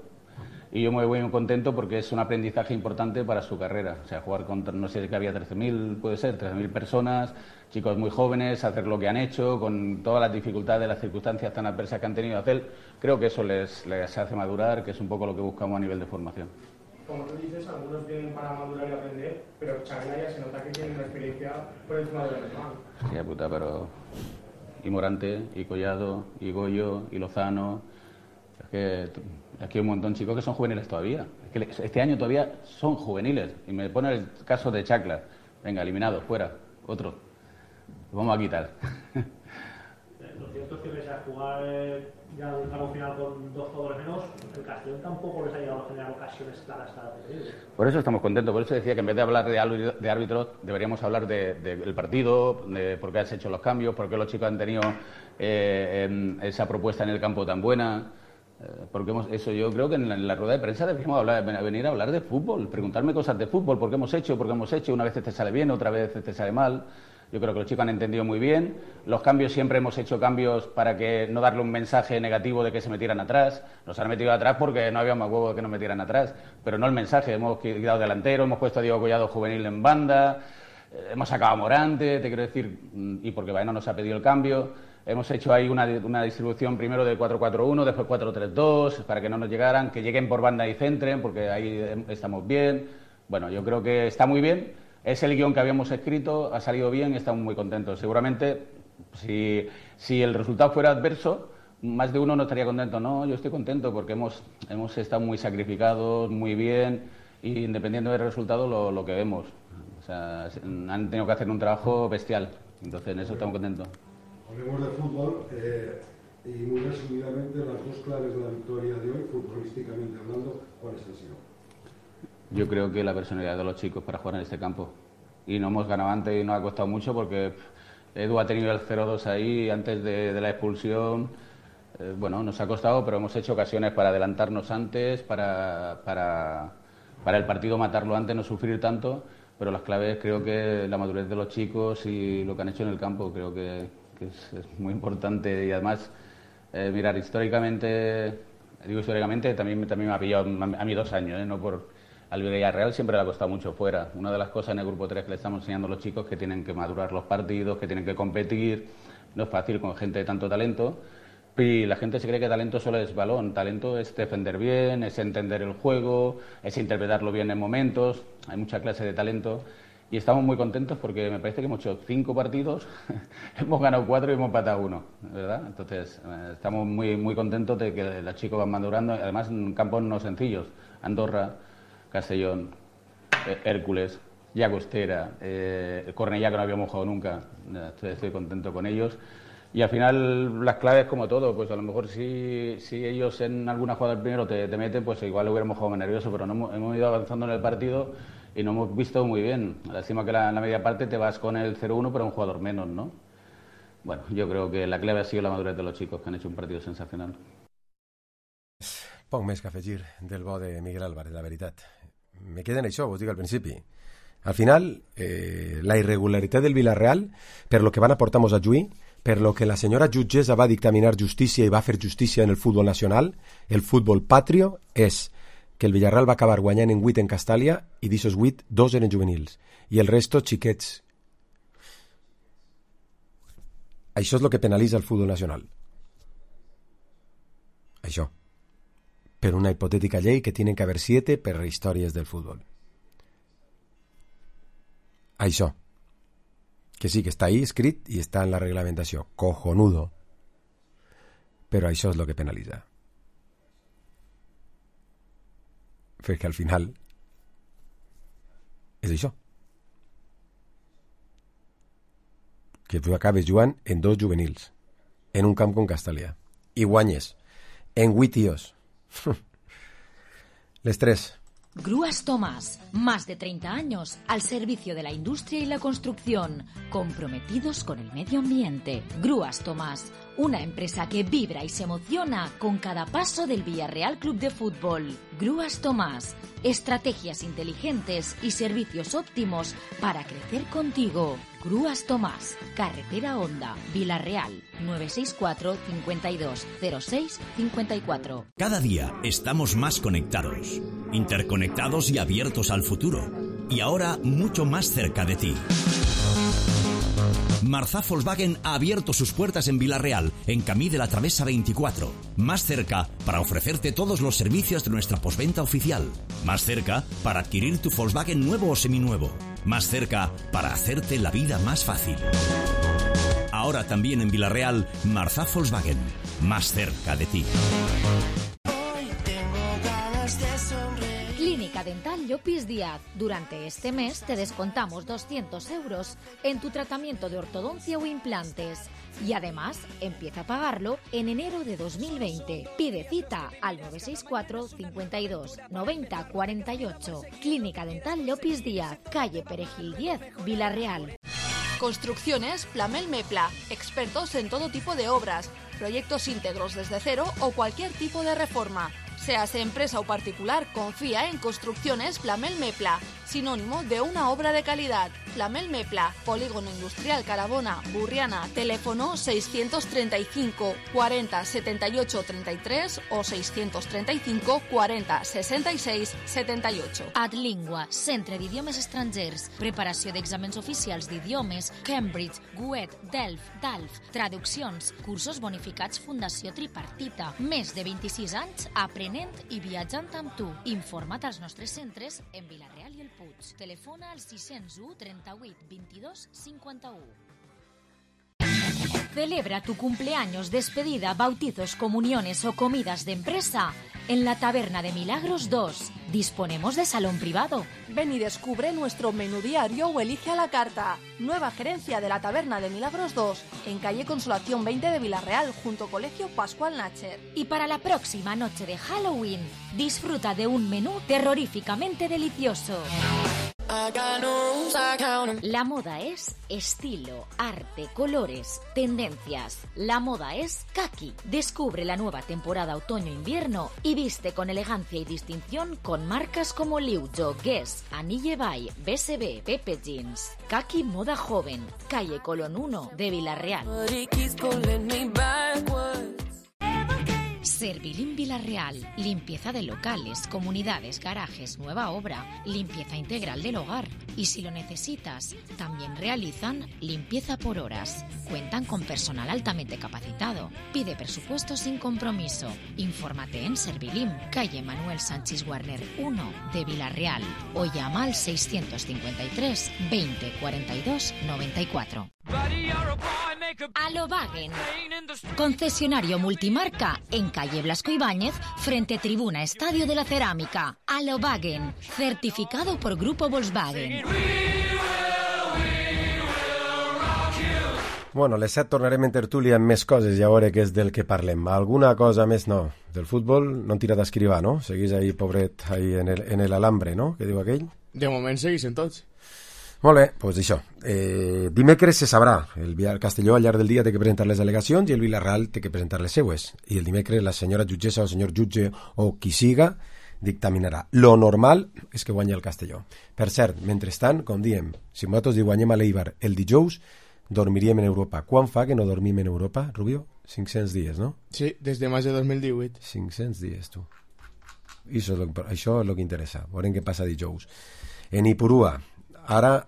y yo me voy muy contento porque es un aprendizaje importante para su carrera. O sea, jugar contra, no sé, que había trece mil, puede ser, trece mil personas, chicos muy jóvenes, hacer lo que han hecho, con todas las dificultades, las circunstancias tan adversas que han tenido que hacer, creo que eso les, les hace madurar, que es un poco lo que buscamos a nivel de formación. Como tú dices, algunos vienen para madurar y aprender, pero Chavela ya se nota que tiene una experiencia por encima de lo normal. Sí, puta, pero... Y Morante, y Collado, y Goyo, y Lozano... Es que aquí hay un montón de chicos que son juveniles todavía. Es que este año todavía son juveniles. Y me pone el caso de Chacla. Venga, eliminado, fuera, otro. Lo vamos a quitar. Lo cierto es que pese a jugar ya un tramo final con dos jugadores menos, el Castellón tampoco les ha llegado a generar ocasiones claras cada partido. Por eso estamos contentos, por eso decía que en vez de hablar de árbitros, deberíamos hablar del de, de partido, de por qué has hecho los cambios, por qué los chicos han tenido eh, esa propuesta en el campo tan buena. Porque hemos, eso yo creo que en la, en la rueda de prensa deberíamos hablar, venir a hablar de fútbol, preguntarme cosas de fútbol, por qué hemos hecho, por qué hemos hecho, una vez te sale bien, otra vez te sale mal. Yo creo que los chicos han entendido muy bien. Los cambios, siempre hemos hecho cambios para que no darle un mensaje negativo de que se metieran atrás. Nos han metido atrás porque no había más huevo de que nos metieran atrás, pero no el mensaje. Hemos quedado delantero, hemos puesto a Diego Collado juvenil en banda, hemos sacado a Morante, te quiero decir, y porque Baena nos ha pedido el cambio. Hemos hecho ahí una, una distribución primero de cuatro cuatro uno, después cuatro tres dos, para que no nos llegaran, que lleguen por banda y centren, porque ahí estamos bien. Bueno, yo creo que está muy bien. Es el guión que habíamos escrito, ha salido bien y estamos muy contentos. Seguramente, si, si el resultado fuera adverso, más de uno no estaría contento. No, yo estoy contento porque hemos, hemos estado muy sacrificados, muy bien, y independiendo del resultado, lo, lo que vemos. O sea, han tenido que hacer un trabajo bestial. Entonces, en eso estamos contentos. Hablemos de fútbol eh, y muy resumidamente las dos claves de la victoria de hoy, futbolísticamente hablando, ¿cuáles han sido? Yo creo que la personalidad de los chicos para jugar en este campo. Y no hemos ganado antes y nos ha costado mucho porque Edu ha tenido el cero dos ahí antes de, de la expulsión. Eh, bueno, nos ha costado, pero hemos hecho ocasiones para adelantarnos antes, para, para, para el partido matarlo antes, no sufrir tanto. Pero las claves creo que la madurez de los chicos y lo que han hecho en el campo, creo que, que es, es muy importante. Y además, eh, mirar, históricamente, digo históricamente, también, también me ha pillado a mí dos años, ¿eh? No por... Al Villarreal siempre le ha costado mucho fuera. Una de las cosas en el grupo tres que le estamos enseñando a los chicos es que tienen que madurar los partidos, que tienen que competir, no es fácil con gente de tanto talento. Y la gente se cree que talento solo es balón, talento es defender bien, es entender el juego, es interpretarlo bien en momentos, hay mucha clase de talento y estamos muy contentos porque me parece que hemos hecho cinco partidos, hemos ganado cuatro y hemos empatado uno, ¿verdad? Entonces eh, estamos muy, muy contentos de que los chicos van madurando, además en campos no sencillos, Andorra, Castellón, eh, Hércules, Llagostera, eh, Cornellá que no habíamos jugado nunca, estoy, estoy contento con ellos. Y al final las claves como todo, pues a lo mejor si, si ellos en alguna jugada primero te, te meten, pues igual hubiéramos jugado más nervioso, pero no hemos, hemos ido avanzando en el partido y no hemos visto muy bien. Lástima que la, en la media parte te vas con el cero uno, pero un jugador menos, ¿no? Bueno, yo creo que la clave ha sido la madurez de los chicos, que han hecho un partido sensacional. Poc més que afegir del bo de Miguel Álvarez, la veritat. Me queda en això, vos dic al principi. Al final, eh, la irregularitat del Villarreal, per lo que van aportar Mosajuí, per lo que la senyora jutgessa va dictaminar justícia i va fer justícia en el futbol nacional, el futbol patrio, és que el Villarreal va acabar guanyant en vuit en Castàlia i d'aixòs vuit, dos eren juvenils i el resto xiquets. Això és el que penalitza el futbol nacional. Això. Per una hipotètica llei que tienen que haver siete per històries del futbol. Això. Que sí, que està ahí escrit i està en la reglamentació. Cojonudo. Però això és el que penalitza. Perquè al final és això. Que tu acabes jugant en dos juvenils, en un camp com Castàlia, i guanyes en vuit tios. Les tres. Grúas Tomás, más de treinta años al servicio de la industria y la construcción, comprometidos con el medio ambiente. Grúas Tomás, una empresa que vibra y se emociona con cada paso del Villarreal Club de Fútbol. Grúas Tomás, estrategias inteligentes y servicios óptimos para crecer contigo. Grúas Tomás, Carretera Honda, Villarreal, nueve seis cuatro, cincuenta y dos, cero seis, cincuenta y cuatro. Cada día estamos más conectados, interconectados y abiertos al futuro. Y ahora mucho más cerca de ti. Marzá Volkswagen ha abierto sus puertas en Villarreal, en Camí de la Travesa veinticuatro. Más cerca para ofrecerte todos los servicios de nuestra postventa oficial. Más cerca para adquirir tu Volkswagen nuevo o seminuevo. Más cerca para hacerte la vida más fácil. Ahora también en Villarreal, Marzá Volkswagen. Más cerca de ti. Clínica Dental Llopis Díaz. Durante este mes te descontamos doscientos euros en tu tratamiento de ortodoncia o implantes. Y además, empieza a pagarlo en enero de dos mil veinte. Pide cita al nueve seis cuatro, cincuenta y dos, noventa, cuarenta y ocho. Clínica Dental Llopis Díaz, calle Perejil diez, Villarreal. Construcciones Plamel Mepla, expertos en todo tipo de obras, proyectos íntegros desde cero o cualquier tipo de reforma. Seas empresa o particular, confía en Construcciones Plamel Mepla, sinónimo de una obra de calidad. Plamel Mepla, Polígono Industrial Carabona, Burriana, teléfono seiscientos treinta y cinco, cuarenta, setenta y ocho, treinta y tres o seiscientos treinta y cinco, cuarenta, sesenta y seis, setenta y ocho. Adlingua, Centre d'Idiomes Estrangers, preparació d'exàmens oficials d'idiomes, Cambridge, Goethe, Delft, Dalf, traduccions, cursos bonificats Fundació Tripartita, més de vint-i-sis anys aprenent i viatjant amb tu. Informa't als nostres centres en Villarreal i el Puig. Telefona al sis zero u, trenta-vuit, vint-i-dos, cinquanta-u. Celebra tu cumpleaños, despedida, bautizos, comuniones o comidas de empresa en la Taberna de Milagros dos. Disponemos de salón privado. Ven y descubre nuestro menú diario o elige a la carta. Nueva gerencia de la Taberna de Milagros dos, en calle Consolación veinte de Villarreal, junto Colegio Pascual Nacher. Y para la próxima noche de Halloween, disfruta de un menú terroríficamente delicioso. La moda es estilo, arte, colores, tendencias. La moda es Kaki. Descubre la nueva temporada otoño-invierno y viste con elegancia y distinción con marcas como Liujo, Guess, Anille Bay, B S B, Pepe Jeans. Kaki Moda Joven, calle Colón uno de Villarreal. Servilim Villarreal. Limpieza de locales, comunidades, garajes, nueva obra, limpieza integral del hogar. Y si lo necesitas, también realizan limpieza por horas. Cuentan con personal altamente capacitado. Pide presupuesto sin compromiso. Infórmate en Servilim, calle Manuel Sánchez Warner uno de Villarreal o llama al seiscientos cincuenta y tres veinte cuarenta y dos noventa y cuatro. Alovagen, concesionario multimarca en calle Blasco Ibáñez, frente Tribuna Estadio de la Cerámica. Alovagen, certificado por Grupo Volkswagen. Bueno, les set tornarem en tertúlia amb més coses, ja veure què és del que parlem. Alguna cosa més no. Del futbol no en tira d'escrivar, no? Seguís ahí, pobret, ahí en el, en el alambre, no? Què diu aquell? De moment seguís en tots. Molt bé, doncs això. Eh, dimecres se sabrà. El Castelló al llarg del dia té que presentar les al·legacions i el Villarreal té que presentar les seues. I el dimecres la senyora jutgessa o el senyor jutge o qui siga dictaminarà. Lo normal és que guanyi el Castelló. Per cert, mentrestant, com diem, si nosaltres guanyem a l'Eibar el dijous, dormiríem en Europa. Quan fa que no dormim en Europa, Rubio? cinc-cents dies, no? Sí, des de maig de dos mil divuit. cinc-cents dies, tu. I això és lo, això és el que interessa. Veurem què passa dijous. En Ipurua, ara...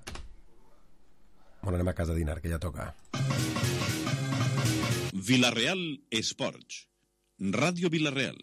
Bueno, anem a casa a dinar, que ja toca. Villarreal Esports. Ràdio Villarreal.